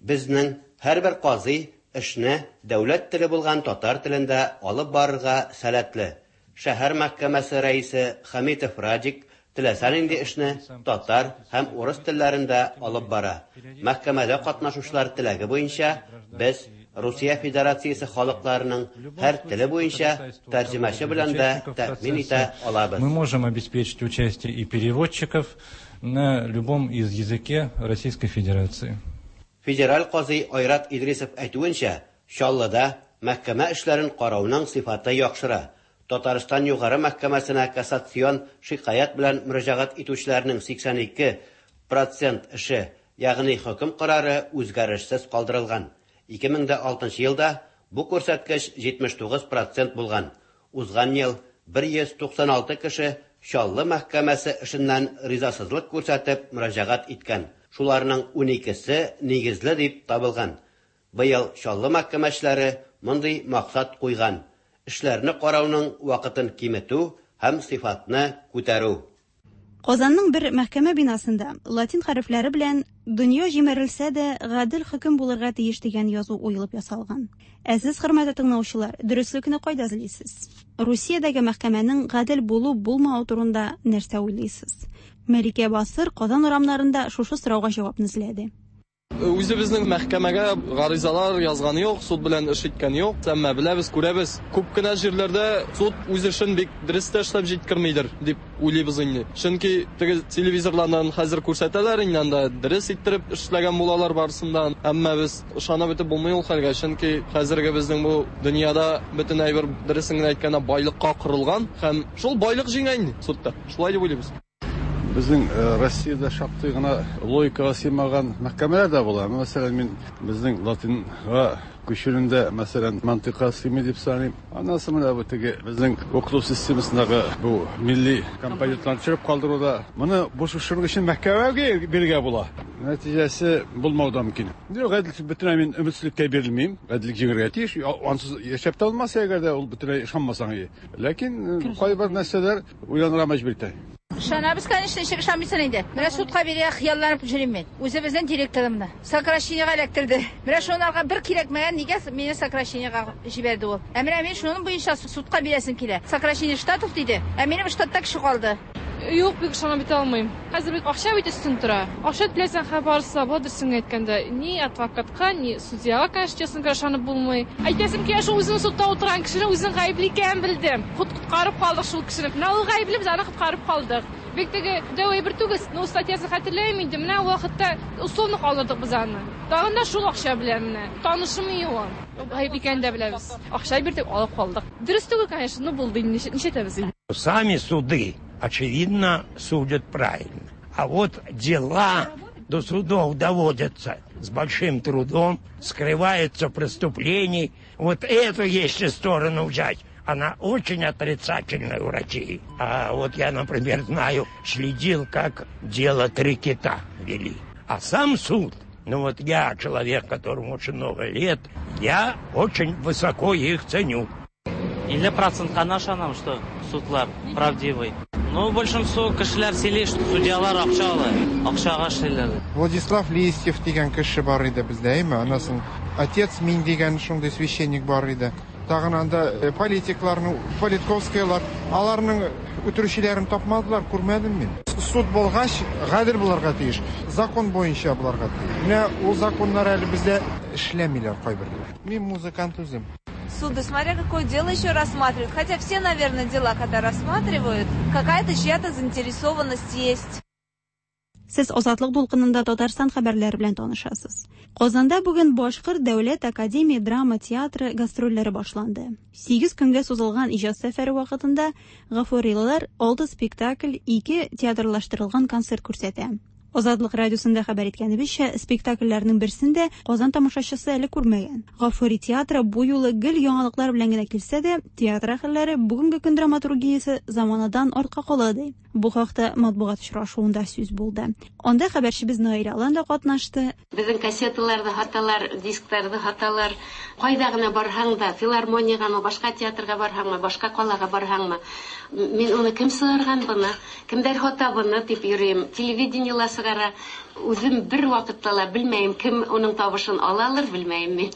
Безнең һәрбер казый эшне дәүләт теле булган татар телендә алып барырга сәләтле. Шәһәр мәхкәмәсе рәисе Хамитов Радик теләсә нинди эшне татар һәм урыс телләрендә алып бара. Мәхкәмәдә катнашучылар теләге буенча без Русия Федерациясе халыкларының һәр теле буенча тәрҗемәче белән дә тәэмин итә алабыз. Мы можем обеспечить участие и переводчиков на любом из языке Российской Федерации. Федераль казый Айрат Идрисов әйтүенчә, Чаллыда мәхкәмә эшләрен карауның сыйфаты яхшыра. Татарстан югары мәхкәмәсенә кассацион шикаять белән мөрәҗәгать итүчеләрнең сиксән ике процент эше, ягъни хөкем карары үзгәрешсез калдырылган. Ике мең дә алтынчы елда бу күрсәткеч җитмеш тугыз процент булган. Узган ел бер йөз туксан алты кеше Чаллы мәхкәмәсе эшеннән ризасызлык күрсәтеп мөрәҗәгать иткән. Шуларның уникесе нигезле дип табылган. Быел Чаллы мәхкәмәчеләре мондый максат куйган. Эшләрне карауның вакытын киметү һәм сыйфатны күтәрү. Казанның бер мәхкәмә бинасында латин хәрефләре белән «Дөнья җимерелсә дә, гадел хөкем булырга тиеш» дигән язу уелып ясалган. Ә сез, хөрмәтле тыңлаучылар, дөреслекне кайда эзлисез? Русиядәге мәхкәмәнең гадел булу-булмавы турында нәрсә уйлыйсыз? Мәликә Басыр Казан урамнарында шушы сорауга җавапны эзләде. Үзебезнең мәхкәмәгә гаризалар язганы юк, суд белән эш иткән юк. Әмма беләбез, күрәбез, күп кенә җирләрдә суд үз эшен бик дөрес тә эшләп җиткермидер дип уйлыйбыз инде. Чөнки теге телевизорлардан хәзер күрсәтәләр инде, анда дөрес иттереп эшләгән булалар барысында. Әмма без ышанып бетеп булмый ул хәлгә, чөнки хәзерге безнең бу дөньяда бөтен әйбер, дөресен генә әйткәндә, байлыкка корылган һәм шул байлык җиңә инде судта. Шулай дип уйлыйбыз. Безнең Россиядә шактый гына логикага сыймаган мәхкәмәләр дә була. Мәсәлән, мин безнең латинга күчүендә, мәсәлән, мантыйкка сыймый дип саныйм. Аннан соң менә бу теге безнең укыту системасындагы бу милли компонентларны төшереп калдыруда, моны бу шуның өчен мәхкәмәгә бирергә була. Нәтиҗәсе булмау да мөмкин. Юк, гаделлек бөтенләй мин өметсезлеккә бирелмим. Гаделлек җиңәргә тиеш. Ансыз яшәп тә булмас, әгәр дә ул бөтенләй ышанмасаң. Ләкин кайбер нәрсәләр уйланырга мәҗбүр итә. Ышанабыз, конечно, ничек ышанмыйсың инде. Менә судка бирергә хыялланып йөрим мин. Үзебезнең директорымны сокращениега эләктерде. Менә шунарга бер кирәкмәгән, нигә мине сокращениега җибәрде ул. Ә менә мин шуның буенча судка бирәсем килә. Сокращение штатов диде. Ә минем штатта кеше калды. Юк, бик ышанып бетә алмыйм. Хәзер бит акча бит өстен тора. Акча түләсәң, хәбәрсез була, дөресен әйткәндә. Ни адвокатка, ни судьяга, конечно, честно говоря, ышанып булмый. Әйтәсем килә, шул үзенең судта утырган кешене үзенең гаепле икәнен белдем. Коткарып калдык шул кешене. Менә ул гаепле, без аны коткарып калдык. Бик теге дәү әйбер түгел, но статьясын хәтерләмим инде. Менә ул вакытта условно калдырдык без аны. Тагын да шул акча белән менә. Танышым юк. Гаеп икәнен дә беләбез. Акча бирдек, алып калдык. Дөрес түгел, конечно, но булды инде, нишләтәбез инде. Сами суды, очевидно, судят правильно. А вот дела до судов доводятся с большим трудом, скрываются преступления. Вот эту если сторону взять, она очень отрицательная у России. А вот я, например, знаю, следил, как дело «Три кита» вели. А сам суд, ну вот я, человек, которому очень много лет, я очень высоко их ценю. Илле процентка ышанам, что судлар правдивый. Ну, большинство кешеләр сөйли, что судьялар акча ала, акчага эшлиләр. Владислав Листьев дигән кеше бар иде бездә, әйме? Анасын отец Мин дигән шундый священник бар иде. Тагын анда политикларны, Политковскийлар, аларның үтерүчеләрен тапмадылар, күрмәдем мин. Суд булгач, гадел булырга тиеш, закон буенча булырга тиеш. Менә ул законнар әле бездә эшләмиләр кайберләр. Мин музыкант үзем. Суды, смотря какое дело еще рассматривают. Хотя все, наверное, дела, когда рассматривают, какая-то чья-то заинтересованность есть. Сез Азатлык дулкынында Татарстан хәбәрләре белән танышасыз. Казанда бүген Башкорт дәүләт академия драма театры гастрольләре башланды. Сигез көнгә сузылган иҗат сәфәре вакытында гафурилылар алты спектакль, ике театрлаштырылган концерт күрсәтә. Азатлык радиосында хәбәр иткәнебезчә, спектакльләрнең берсен дә Казан тамашачысы әле күрмәгән. Гафури театры бу юлы гел яңалыклар белән генә килсә дә, театр әһелләре бүгенге көн драматургиясе заманадан артка кала ди. Бу хакта матбугат очрашуында сүз булды. Анда хәбәрчебез Наилә Алан да катнашты. Безнең кассеталарда хаталар, дискларда хаталар. Кайда гына барһаң да, филармониягә, башка театрга барһаңмы, башка калага барһаңмы, мин уны кем сыгырган буны, кемдер хата буны дип йөрим. Телевидениела сыгара. Үзем бер вакытта ла белмәйем, кем уның тавышын алалыр, белмәйем мин.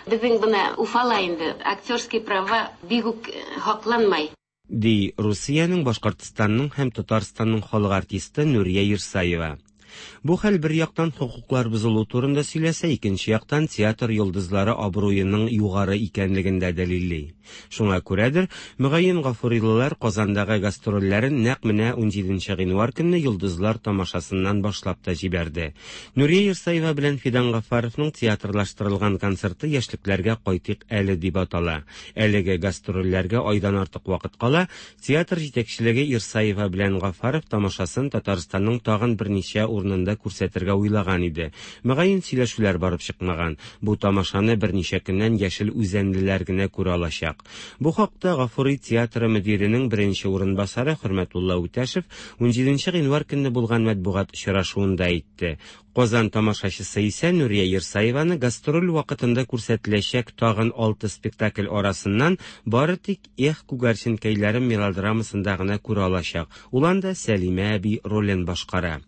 Безнең бына Уфала инде актерский права бик үк хакланмай. Ди Русиянең, Башкортстанның һәм Татарстанның халык артисты Нурия Ирсаева. Бу хәл бер яктан хокуклар бозылу турында сөйләсә, икенче яктан театр йолдызлары абруеның югары икәнлеген дә дәлилли. Шуңа күрәдер, мөгаен гафурилылар Казандагы гастрольләрен нәкъ менә унҗиденче гыйнвар көнне йолдызлар тамашасыннан башлап та җибәрде. Нурия Ирсаева белән Фидан Гафаровның театрлаштырылган концерты яшьлекләргә кайтыйк әле дип атала. Әлеге гастрольләргә айдан артык вакыт кала, театр җитәкчелеге Ирсаева белән Гафаров тамашасын Татарстанның тагын берничә урын урынында күрсәтергә уйлаган иде. Мөгаен, сөйләшүләр барып чыкмаган. Бу тамашаны берничә көннән яшел үзәнлеләр генә күрә алачак. Бу хакта Гафури театры мөдиренең беренче урынбасары Хөрмәтулла Үтәшев унҗиденче гыйнвар көнне булган матбугат очрашуында әйтте. Казан тамашачысы исә Нурия Ирсаеваны гастроль вакытында күрсәтеләчәк тагын алты спектакль арасыннан бары тик «Эх, күгәрченкәйләрем» мелодрамасында гына күрә алачак. Ул анда Сәлимә әби ролен башкара.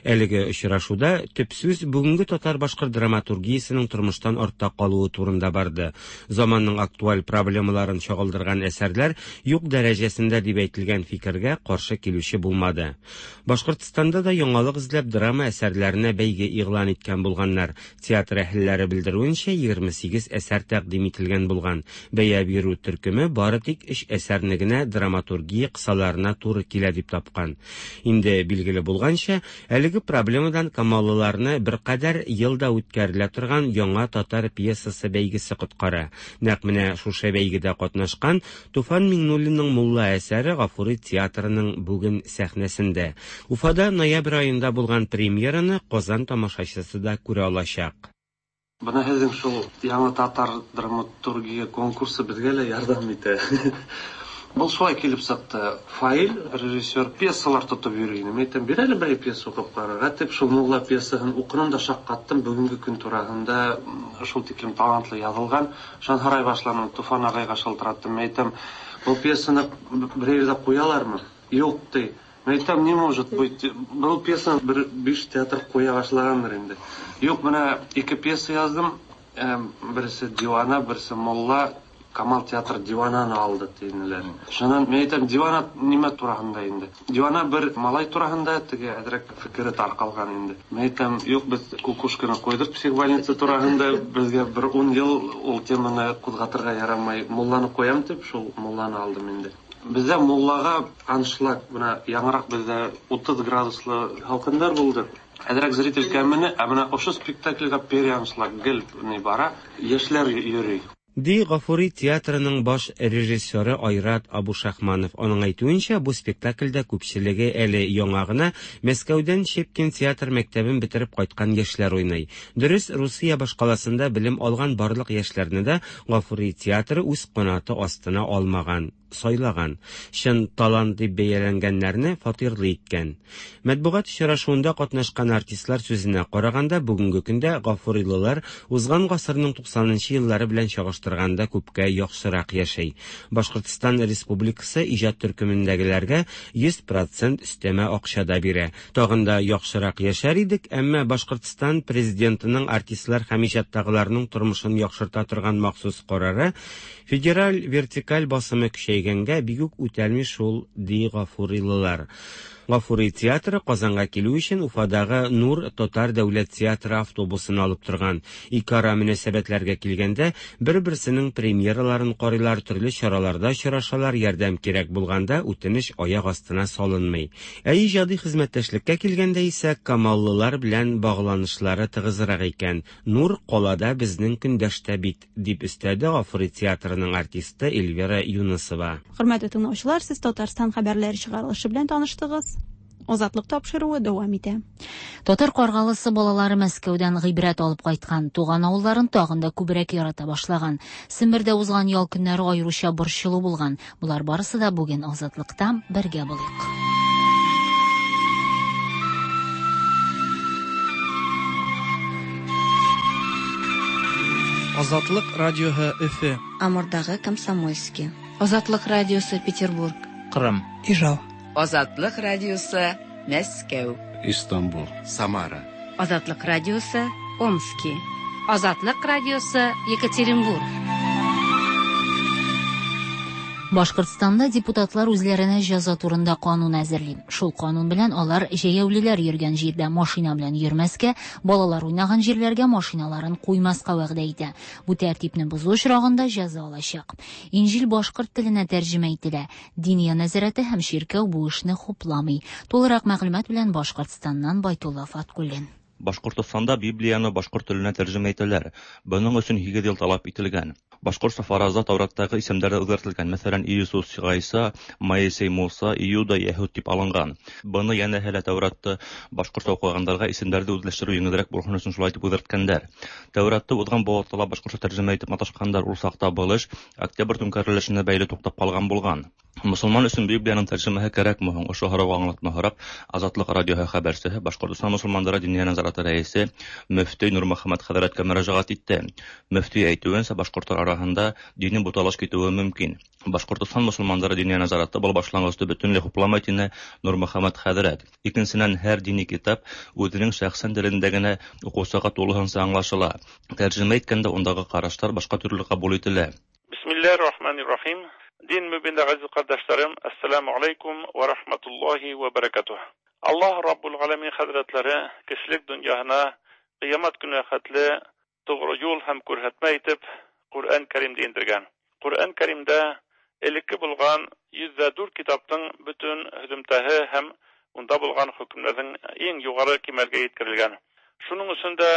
Әлеге очрашуда төп сүз бүгенге татар-башкорт драматургиясенең тормыштан артта калуы турында барды. Заманның актуаль проблемаларын чагылдырган әсәрләр юк дәрәҗәсендә дип әйтелгән фикергә каршы килүче булмады. Башкортстанда да яңалык эзләп драма әсәрләренә бәйге игълан иткән булганнар. Театр әһелләре белдерүенчә, егерме сигез әсәр тәкъдим ителгән булган. Бәя бирү төркеме бары тик өч әсәрне генә драматургия кысаларына туры килә дип тапкан. Инде билгеле булганча, әлеге проблемадан камаллыларны беркадәр елда үткәрелә торган яңа татар пьесасы бәйгесе коткара. Нәкъ менә шушы бәйгедә катнашкан Туфан Миңнуллинның Мулла әсәре Гафури театрының бүген сәхнәсендә. Уфада ноябрь аенда булган премьераны Казан тамашачысы да күрә алачак. Бына һеҙҙең шул яңа татар драматургия конкурсы беҙгә лә ярҙам итә. Был шулай килеп сыҡты. Фаил, режиссер, пьесалар тотоп йөрөй ине. Мин әйтәм, бир әле берәй пьеса уҡып ҡарарға тип, шул Мулла пьесаһын уҡыным да шаҡ ҡаттым. Бөгөнгө көн тураһында шул тиклем талантлы яҙылған. Шунан һорай башланым, Туфан ағайға шылтыраттым. Мин әйтәм, был пьесаны берәй ерҙә ҡуялармы? Юҡ, ти. Мин әйтәм, не может быть. Был пьесаны бер биш театр ҡуя башлағандыр инде. Юҡ, бына ике пьеса яҙҙым. Береһе Диуана, береһе Мулла. Камал театр Диуананы алды тинеләр. Шунан мин әйтәм, Диуана нимә тураһында инде? Диуана бер малай тураһында, теге әҙерәк фекере тарҡалған инде. Мин әйтәм, юҡ, беҙ Кукушканы ҡуйҙыҡ психбольница тураһында, беҙгә бер ун йыл ул теманы ҡуҙғатырға ярамай. Мулланы ҡуям тип, шул Мулланы алдым инде. Беҙҙә Муллаға аншлаг, бына яңыраҡ беҙҙә утыҙ градуслы һалҡындар булды. Әҙерәк зритель кәмене, ә бына ошо спектакльгә переаншлаг гел ни бара, йәшләр йөрөй. Ди Гафури театрының баш режиссеры Айрат Абушахманов. Аның әйтүенчә, бу спектакльдә күпчелеге әле яңа гына Мәскәүдән Щепкин театр мәктәбен бетереп кайткан яшьләр уйный. Дөрес, Русия башкаласында белем алган барлык яшьләрне дә Гафури театры үз канаты астына алмаган, сайлаган. Чын талант дип бәяләнгәннәрне фатирлы иткән. Матбугат очрашуында катнашкан артистлар сүзенә караганда, бүгенге көндә гафурилылар узган гасырның туксанынчы еллары белән чагыштырганда күпкә яхшырак яшәй. Башкортстан Республикасы иҗат төркемендәгеләргә йөз процент өстәмә акча да бирә. Тагын да яхшырак яшәр идек, әмма Башкортстан президентының артистлар һәм иҗаттагыларның тормышын яхшырта торган махсус карары федераль вертикаль басымы көчәйгәнгә бик үк үтәлми шул, ди гафурилылар. Гафури театры Казанга килү өчен Уфадагы Нур татар дәүләт театры автобусын алып торган. Ике ара мөнәсәбәтләргә килгәндә, бер-берсенең премьераларын карыйлар, төрле чараларда очрашалар, ярдәм кирәк булганда үтенеч аяк астына салынмый. Ә иҗади хезмәттәшлеккә килгәндә исә камаллылар белән багланышлары тыгызрак икән. Нур калада безнең көндәштә бит, дип өстәде Гафури театрының артисты Эльвира Юнысова. Хөрмәтле тыңлаучылар, сез Татарстан хәбәрләре чыгарылышы белән таныштыгыз. Азатлык тапшыруы дәвам итә. Татар Каргалысы балалары Мәскәүдән гыйбрәт алып кайткан, туган авылларын тагын да күбрәк ярата башлаган. Сембердә узган ял көннәре аеруча борчылу булган. Болар барысы да бүген Азатлыкта бергә булыйк. Азатлык радиоһы Өфө. Амурдагы Комсомольский. Азатлык радиосы Петербург. Кырым. Ижау. Азатлык радиосы Мәскәү. Истанбул. Самара. Азатлык радиосы Омски. Азатлык радиосы Екатеринбург. Башкортстанда депутатлар үзләренә җәза турында канун әзерли. Шул канун белән алар җәяүлеләр йөргән җирдә машина белән йөрмәскә, балалар уйнаган җирләргә машиналарын куймаска вәгъдә итә. Бу тәртипне бозу очрагында җәза алачак. Инҗил башкорт теленә тәрҗемә ителә. Диния нәзарәте һәм чиркәү бу эшне хупламый. Тулырак мәгълүмат белән Башкортстаннан Байтулла Фаткуллин. Башкортстанда Библияны башкорт теленә тәрҗемә итәләр. Буның өчен һигез ел таләп ителгән. Башҡортса фаразда Тәүраттағы исемдәр ҙә үҙгәртелгән. Мәҫәлән, Иисус Ғайса, Моисей Муса, Иуда Йәһүд тип алынған. Быны йәнәһе лә Тәүратты башҡортса уҡығандарға исемдәрҙе үҙләштереү еңелерәк булһын өсөн шулай итеп үҙгәрткәндәр. Тәүратты уҙған быуатта ла башҡортса тәржемә итеп маташҡандар. Ул саҡта был эш Октябрь түңкәрелешенә бәйле туҡтап ҡалған булған. Мосолман өсөн Библияның тәржемәһе кәрәкме һуң? Ошо һорауға аңлатма һорап, Азатлыҡ радиоһы хәбәрсеһе Башҡортостан мосолмандары Диниә назараты рәйесе мөфтөй Нурмөхәммәт хәҙрәткә мөрәжәғәт итте. Мөфтөй әйтеүенсә, башҡорттар араһында дини буталыш китеүе мөмкин. Башҡортостан мосолмандары Диниә назараты был башланғысты бөтөнләй хупламай, тине Нурмөхәммәт хәҙрәт. Икенсенән, һәр дини китап үҙенең шәхсән телендә генә уҡыусыға тулыһынса аңлашыла. Тәржемә иткәндә ундағы ҡараштар башҡа төрлө ҡабул ителә. Бисмиллahirrahmanirrahim. Din mübinde aziz kardeşlerim, Esselamu Aleyküm ve Rahmetullahi ve Berekatuhu. Allah Rabbul Alemin Hazretleri kişilik dünyasına kıyamet günü xatlı doğru yol hem kürhetme etip Kur'an-ı Kerim'de indirgen. Kur'an-ı Kerim'de elikki bulgan yüzde dört kitaptın bütün hüzümtehi hem onda bulgan hükümlerin en yukarı kemalge yetkirilgen. Şunun üstünde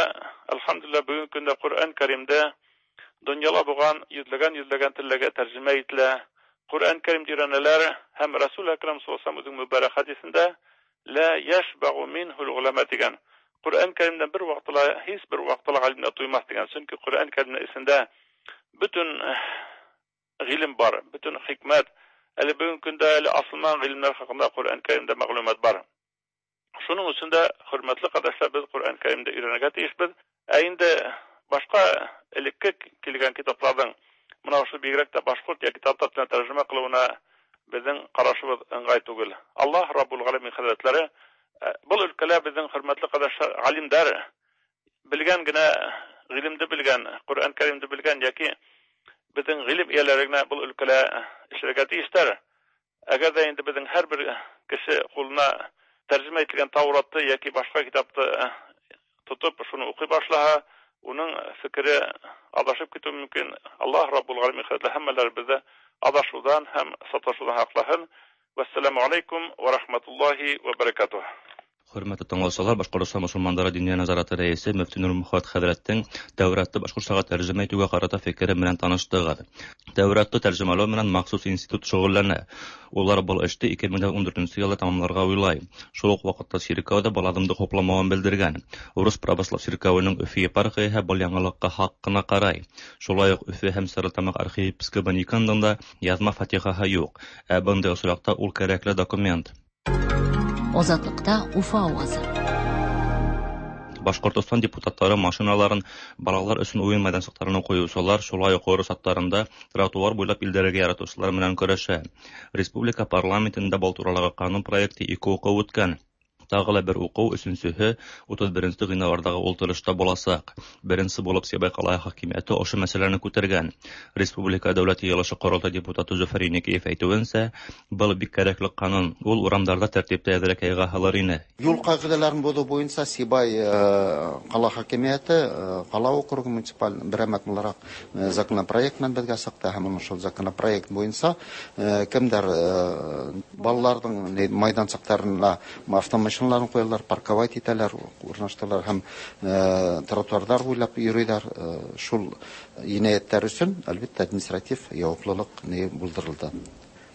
elhamdülillah bugün günde Kur'an-ı Kerim'de dünyala bulgan yüzlegen yüzlegen tillege tercüme etile. Kur'an-ı Kerim'de öğreneler hem Resul-i Ekrem sallallahu aleyhi ve sellem mübarek hadisinde la yeşbe'u minhu'l ulema degen. Kur'an-ı Kerim'den bir vaqtla hiç bir vaqtla alimler duymaz degen. Çünkü Kur'an-ı Kerim'in içinde bütün ilim var, bütün hikmet. Hele bugün günde hele asılman ilimler hakkında Kur'an-ı Kerim'de maglumat var. Şunun için de hürmetli kardeşler biz Kur'an-ı Kerim'de öğrenmeye tiyişbiz. Endi başka elikki kelgan kitaplardan mına şu bigirek de başkurt ya kitaplar tercüme kılığına bizim qarashimiz ыңғай түгел. Allah Rabbul Alemin Hazretleri bu ülkeler bizim hürmetli kardeşler alimler bilgen gene ilimde bilgen, Kur'an-ı Kerim'de bilgen yaki bizim ilim iyelerine bu ülkeler işlerge tiyişler. Eğer de indi bizim her bir kişi koluna tercüme etilgen Tavrat'ı yaki başka kitaptı tutup şunu okuy başlaha, onun fikri adashib ketishi mumkin. Alloh Rabbul Alamin Hazretlari hammalarimizni adashuvdan ham satoshuvdan saqlasin. Vassalomu alaykum va rahmatullohi va barakatuh. Hörmətli тыңлаучылар, Башҡортостан мосолмандары Диниә назараты рәисе мөфти Нурмөхәммәт хәҙрәттең Тәүратты башҡортсаға тәржемә итеүгә ҡарата фекере менән таныштығыҙ. Тәүратты тәржемәләү менән махсус институт шөғөлләнә. Улар был эште ике мең ун дүртенсе йылда тамамларға уйлай. Шул уҡ ваҡытта сиркәү ҙә был аҙымды хупламауын белдергән. Урыҫ православ сиркәүенең Өфө епархияһы был яңылыҡҡа хаҡ ҡына ҡарай. Шулай уҡ Өфө һәм Стәрлетамаҡ архиепискобы Никондың да яҙма фатихаһы юҡ. Ә бындай осраҡта ул кәрәкле документ. Азатлыкта Уфа авазы. Башҡортостан депутаттары машиналарын балалар өсөн уйын майҙансыҡтарына ҡуйыусылар, шулай уҡ урыҫ аттарында тротуар буйлап илдәрергә яратыусылар менән көрәшә. Республика парламентында был туралағы ҡанун проекты ике уҡыу үткән. Тағы ла бер уҡыу, өсөнсөһө утыҙ беренсе ғинуарҙағы ултырышта буласаҡ. Беренсе булып Сибай ҡалаһы хакимиәте ошо мәсьәләне күтәргән. Республика Дәүләт Йыйылышы Ҡоролтай депутаты Зөфәр Еникеев әйтеүенсә, был бик кәрәкле ҡанун. Ул урамдарҙа тәртипте әҙерәк яйға һалыр ине. Юл ҡағиҙәләрен боҙоу буйынса Сибай ҡала хакимиәте ҡала округы муниципаль берәмәк булараҡ законопроект менән беҙгә сыҡты, һәм шул законопроект буйынса кемдәр балаларҙың майҙансыҡтарына автомашина машиналарын ҡуялар, парковать итәләр, урынлаштыралар һәм э, тротуарҙар буйлап йөрөйҙәр. Э, шул енәйәттәр өсөн, әлбиттә, административ яуаплылыҡ ни булдырылды.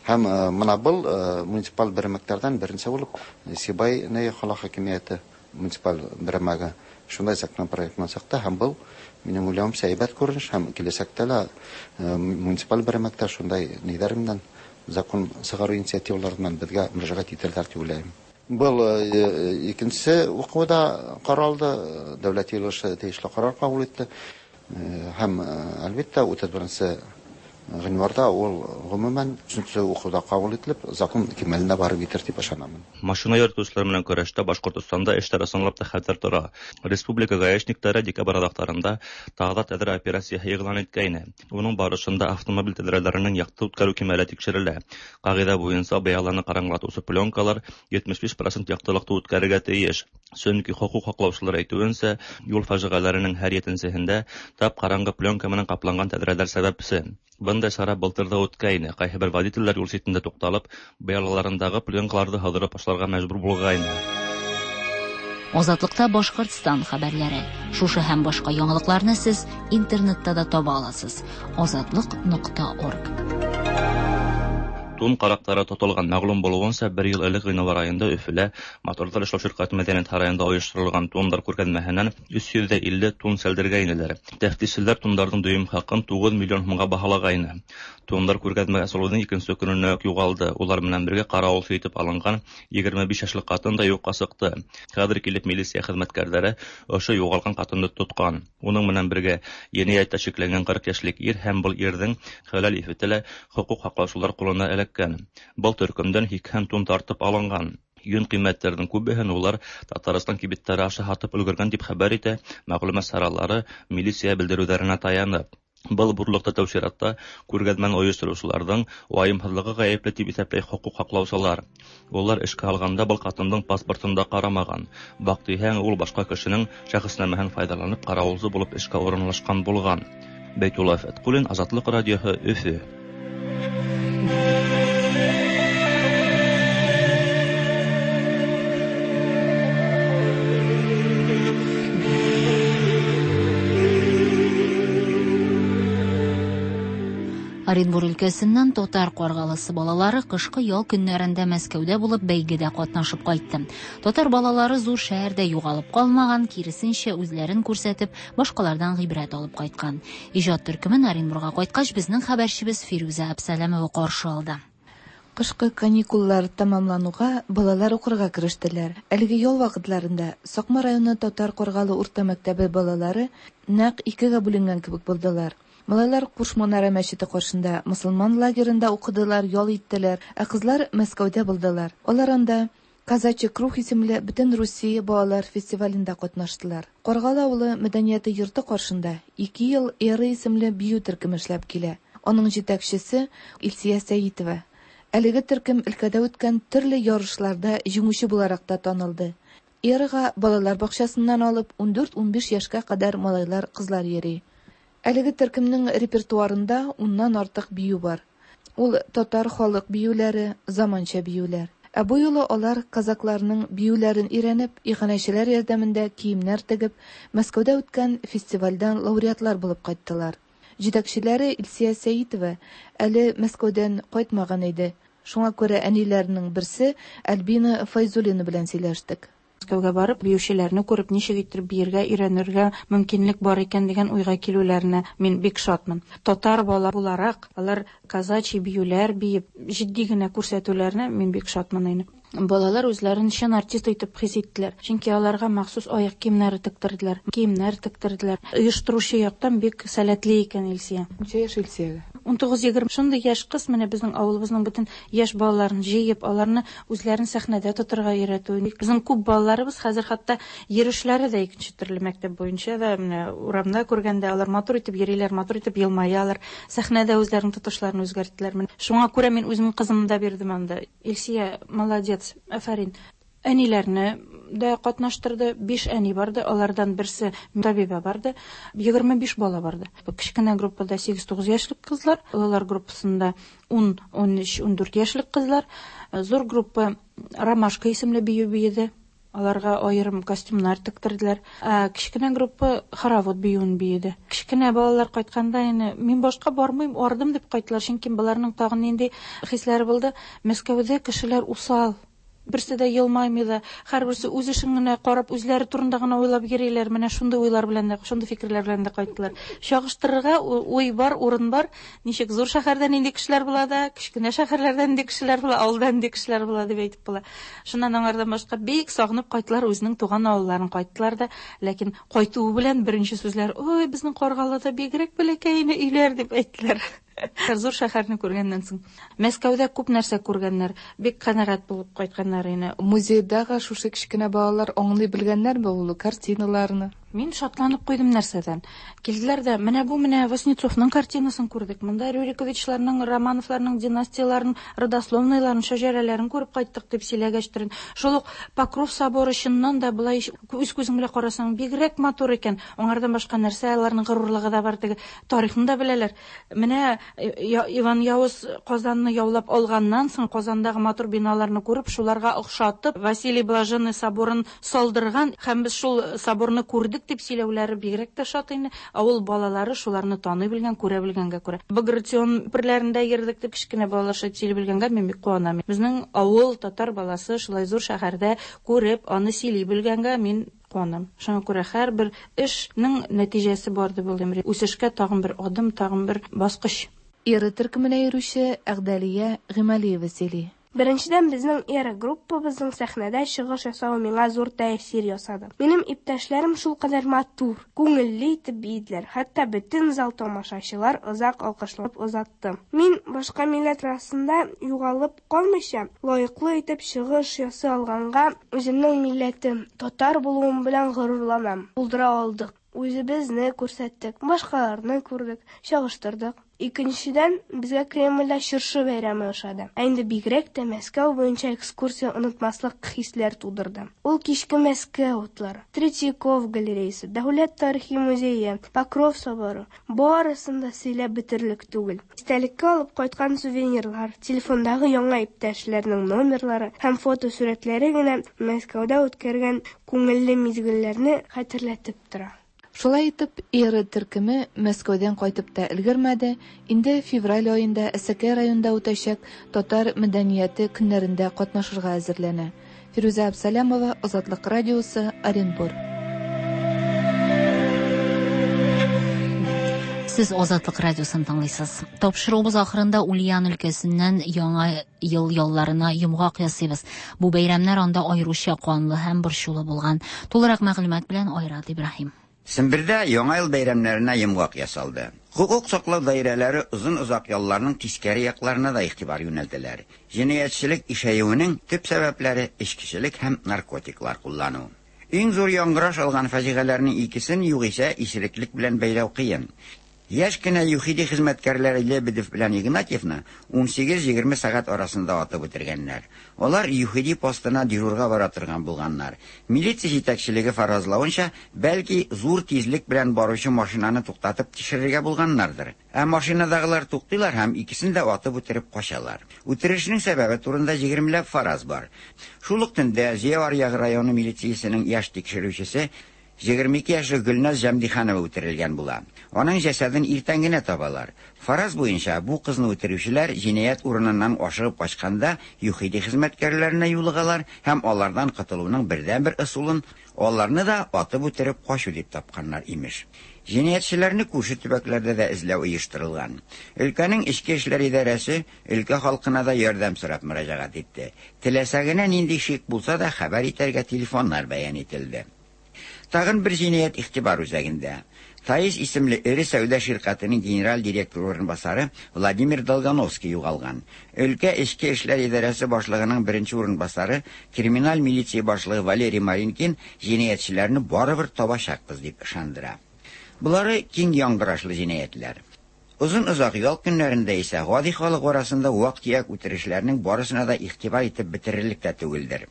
Һәм э, мына был э, муниципаль берәмектәрҙән беренсе булып Сибай ни ҡала хакимиәте муниципаль берәмәге шундай законопроект менән сыҡты, һәм был минең уйлауымса һәйбәт күренеш, һәм киләсәктә лә э, муниципаль берәмектәр шундай ниҙәр менән закон сығарыу инициативалары менән беҙгә мөрәжәғәт итәләр тип уйлайым. Был икенсе уҡыуҙа ҡаралды, Дәүләт Йыйылышы тейешле ҡарар ҡабул итте. Һәм әлбиттә утыҙ беренсе ғинуарҙа ул ғөмүмән өсөнсө уҡыуҙа ҡабул ителеп, закон кимәленә барып етер тип ышанамын. Машина йөрөтөүселәр менән көрәштә Башҡортостанда эштәр ысынлап та хәтәр тора. Республика гаишниктары декабрь аҙаҡтарында Тағҙа тәҙрә операцияһы иғлан иткәйне. Уның барышында автомобиль тәҙрәләренең яҡты үткәреү кимәле тикшерелә. Ҡағиҙә буйынса быяланы ҡараңғылатыусы пленкалар етмеш биш процент яҡтылыҡты үткәрергә тейеш. Сөнки хоҡуҡ һаҡлаусылар әйтеүенсә, юл фажиғәләренең һәр етенсеһендә тап ҡараңғы пленка менән ҡапланған тәҙрәләр сәбәпсе. Бындай сара былтыр ҙа үткәйне. Ҡайһы бер водителдәр юл ситендә туҡталып, быялаларындағы пленкаларҙы һыҙырып ташларға мәжбүр булғайны. Азатлыкта Башкортстан хәбәрләре. Шушы һәм башка яңалыкларны сез интернетта да таба аласыз. Азатлык нокта орг. Тун карактары тотылган. Мәгълүм булуынча, бер ел элек гыйнвар аенда Өфөлә Моторлар эшләү ширкәте мәдәният һараенда оештырылган тундар күргәзмәһеннән өс йөз дә илле тун сәлдергәйнеләр. Тәфтишчеләр тундарның дөйем хакын тугыз миллион һумга баһалагайны. Тундар күргәзмә асылуның икенче көненә үк югалды. Улар менән бергә каравылчы итеп алынган егерме биш яшьлек хатын да юкка чыкты. Хәзер килеп милиция хезмәткәрләре ошо югалган хатынны тоткан. Уның менән бергә җинаятьтә шикләнгән кырык яшьлек ир һәм был ирҙең хәләл ифете лә хокук һаҡлаусылар ҡулына эләккән. Был төркөмдән һикһән тун тартып алынған. Йөн ҡиммәттәрҙең күбеһен улар Татарстан кибеттәре аша һатып өлгөргән тип хәбәр итә мәғлүмәт саралары милиция белдереүҙәренә таянып. Был бурлыҡта тәү сиратта күргәҙмәне ойоштороусыларҙың вайымһыҙлығы ғәйепле тип иҫәпләй хоҡуҡ һаҡлаусылар. Улар эшкә алғанда был ҡатындың паспортын да ҡарамаған. Баҡтиһәң, ул башҡа кешенең шәхеснамәһен файҙаланып ҡарауылсы булып эшкә урынлашҡан булған. Бәйтулла Фәтҡуллин, Азатлыҡ радиоһы, Өфө. Оренбур өлкәсеннән татар Каргалысы балалары кышкы ял көннәрендә Мәскәүдә булып бәйгедә катнашып кайтты. Татар балалары зур шәһәрдә югалып калмаган, киресенчә үзләрен күрсәтеп, башкалардан гыйбрәт алып кайткан. Иҗат төркемен Оренбурга кайткач безнең хәбәрчебез Фирүзә Әбсәләмова каршы алды. Кышкы каникуллар тәмамлануга балалар укырга керештеләр. Әлеге ял вакытларында Сакмар районы Татар Каргалы урта мәктәбе балалары нәкъ икегә бүленгән кебек булдылар. Малайлар Кушманара мәчете каршында мусульман лагерында укыдылар, ял иттеләр, ә кызлар Мәскәүдә булдылар. Алар анда Казачий круг исемле бөтен Русия балалар фестивалендә катнаштылар. Каргалы авылы мәдәнияте йорты каршында ике ел Эра исемле бию төркеме эшләп килә. Аның җитәкчесе Илсия Сәитова. Әлеге төркем өлкәдә үткән төрле ярышларда җиңүче буларак та танылды. Эрага балалар бакчасыннан алып ун дүрт-ун биш яшькә кадәр малайлар, кызлар йөри. Әлеге төркемнең репертуарында уннан артык бию бар. Ул татар халык биюләре, заманча биюләр. Ә бу юлы алар казакларның биюләрен өйрәнеп, иганәчеләр ярдәмендә киемнәр тегеп, Мәскәүдә үткән фестивальдән лауреатлар булып кайттылар. Җитәкчеләре Илсия Сәитова әле Мәскәүдән кайтмаган иде. Шуңа күрә әниләренең берсе Альбина Файзуллина белән сөйләштек. Мәскәүгә барып, биючеләрне күреп, ничек итеп биергә өйрәнергә мөмкинлек бар икән дигән уйга килүләренә мин бик шатмын. Татар бала буларак, алар казачий биюләр биеп, җитди генә күрсәтүләренә мин бик шатмын инде. Балалар үзләрен чын артист итеп хис иттеләр. Чөнки аларга махсус аяк киемнәре тектерделәр, киемнәр тектерделәр. Оештыручы яктан бик сәләтле икән Илсия. Ничә яшь Илсиягә? ун тугыз егерме. Шундый яшь кыз менә безнең авылыбызның бөтен яшь балаларын җыеп, аларны үзләрен сәхнәдә тотырга өйрәтү. Безнең күп балаларыбыз хәзер хәтта йөрешләре дә икенче төрле мәктәп буенча да, менә урамда күргәндә алар матур итеп йөриләр, матур итеп елмаялар, сәхнәдә үзләренең тотышларын үзгәрттеләр. Менә шуңа күрә мин үземнең кызымны да бирдем анда. Илсия молодец, афәрин. Әниләрне дә катнаштырды. Биш әни барды, алардан берсе табибә барды. Егерме биш бала барды. Кечкенә группада сигез-тугыз яшьлек кызлар, олылар группасында ун, ун өч, ун дүрт яшьлек кызлар. Зур группа Ромашка исемле бию биеде. Аларга аерым костюмнар тектерделәр. Ә кечкенә группа хоровод биюен биеде. Кечкенә балалар кайтканда инде мин башка бармыйм, ардым дип кайттылар, чөнки балаларның тагын нинди хисләре булды. Мәскәүдә кешеләр усал. Берсе дә елмаймый да, һәрберсе үз эшен генә карап, үзләре турында гына уйлап йөриләр. Менә шундый уйлар белән дә, шундый фикерләр белән дә кайттылар. Чагыштырырга уй бар, урын бар. Ничек зур шәһәрдә нинди кешеләр була да, кечкенә шәһәрләрдә нинди кешеләр була, авылда нинди кешеләр була дип әйтеп була. Шуннан аңардан башка бик сагынып кайттылар, үзенең туган авылларын кайттылар да, ләкин кайтуы белән беренче сүзләр: "Ой, безнең Каргалыда бигрәк бәләкәй өйләр" дип әйттеләр. Зур шәһәрне күргәннән соң. Мәскәүдә күп нәрсә күргәннәр, бик канәгать булып кайтканнар инде. Музейдагы шушы кечкенә балалар аңлый белгәннәрме ул картиналарны? Мин шатланып куйдым нәрсәдән. Килделәр дә, менә бу менә Васнецовның картинасын күрдек. Монда Рюриковичларның, Романовларның династияларын, родословныйларын, шәҗәрәләрен күреп кайттык дип сөйләгәчтерен. Шул ук Покров соборы чыннан да былай үз күзең белән карасаң бигрәк матур икән. Аңардан башка нәрсә, аларның горурлыгы да бар, теге тарихын да беләләр. Менә Иван Явыз Казанны яулап алганнан соң Казандагы матур биналарны күреп, шуларга охшатып Василий Блаженный соборын салдырган һәм без шул соборны күрдек дип сөйләүләре бигрәк тә шат инде. Авыл балалары шуларны таный белгән, күрә белгәнгә күрә. Багратион перләрендә йөрдек дип кечкенә балалар шулай сөйли белгәнгә мин бик куанам. Безнең авыл татар баласы шулай зур шәһәрдә күреп, аны сөйли белгәнгә мин куанам. Шуңа күрә һәрбер эшнең нәтиҗәсе бар дип уйлыйм. Үсешкә тагын бер адым, тагын бер баскыч. Эра төркеменә йөрүче Әгъдәлия Гыймалиева сөйли. Беренчедән, безнең Эра группабызның сәхнәдә чыгыш ясавы миңа зур тәэсир ясады. Минем иптәшләрем шулкадәр матур, күңелле итеп биеделәр. Хәтта бөтен зал тамашачылар озак алкышлап озатты. Мин башка милләт арасында югалып калмыйча, лаеклы итеп чыгыш ясый алганга үземнең милләтем, татар булуым белән горурланам. Булдыра алдык. Үзебезне күрсәттек, башкаларны күрдек, чагыштырдык. Икенчедән, безгә Кремльдә чыршы бәйрәме ошады. Ә инде бигрәк тә Мәскәү буенча экскурсия онытмаслык хисләр тудырды. Ул кичке Мәскәү утлары, Третьяков галереясы, Дәүләт тарихи музее, Покров соборы барысын да сөйләп бетерлек түгел. Истәлеккә алып кайткан сувенирлар, телефондагы яңа иптәшләрнең номерлары һәм фотосурәтләре генә Мәскәүдә үткәргән күңелле мизгелләрне хәтерләтеп тора. Шулай итеп, Эра төркеме Мәскәүдән кайтып та өлгермәде, инде февраль аенда Әсәкәй районында үтәчәк татар мәдәнияте көннәрендә катнашырга әзерләнә. Фирүзә Абсалямова, Азатлык радиосы, Оренбург. Сез Азатлык радиосын тыңлыйсыз. Тапшыруыбыз ахырында Ульян өлкәсеннән яңа ел ялларына йомгак ясыйбыз. Бу бәйрәмнәр анда аеруча канлы һәм борчулы булган. Тулырак мәгълүмат белән Айрат Ибраһим. Сембердә яңа ел бәйрәмнәренә йомгак ясалды. Хукук саклау даирәләре озын-озак ялларның тискәре якларына да игътибар юнәлтәләр. Җинаятьчелек ишәюенең төп сәбәпләре эчкечелек һәм наркотиклар куллану. Иң зур яңгыраш алган фаҗигаләрнең икесен югыйсә исереклек белән бәйләү кыен. Яшь кенә ЮХИДИ хезмәткәрләре Лебедев белән Игнатьевны ун сигез егерме сәгать арасында атып үтергәннәр. Алар ЮХИДИ постына дежурга бара торган булганнар. Милиция җитәкчелеге фаразлавынча, бәлки зур тизлек белән баручы машинаны туктатып тикшерергә булганнардыр. Ә машинадагылар туктыйлар һәм икесен дә атып үтереп качалар. Үтерешнең сәбәбе турында егермеләп фараз бар. Шул ук төндә Зөя аръягы районы милициясенең яшь тикшерүчесе егерме ике яшьлек Гөлназ Җәмдиханова үтерелгән була. Аның җәсәден иртән генә табалар. Фараз буенча бу кызны үтерүчеләр җинаять урыныннан ашыгып качканда ЮХИДИ хезмәткәрләренә юлыгалар һәм алардан котылуның бердәнбер ысулын аларны да атып үтереп качу дип тапканнар имеш. Җинаятьчеләрне күрше төбәкләрдә дә эзләү оештырылган. Өлкәнең эчке эшләр идарәсе өлкә халкына да ярдәм сорап мөрәҗәгать итте. Теләсә генә нинди шик булса да хәбәр итәргә телефоннар бәян ителде. Тагын бер җинаять игътибар үзәгендә. Таис исемле эре сәүдә ширкәтенең генераль директоры урынбасары Владимир Долгановский югалган. Өлкә эчке эшләр идарәсе башлыгының беренче урынбасары, криминаль милиция башлыгы Валерий Маринкин җинаятьчеләрне барыбер табачакбыз дип ышандыра. Булары киң яңгырашлы җинаятьләр. Озын-озак ял көннәрендә исә гади халык арасында вак-төяк үтерешләрнең барысына да игътибар итеп бетерерлек тә түгелдер.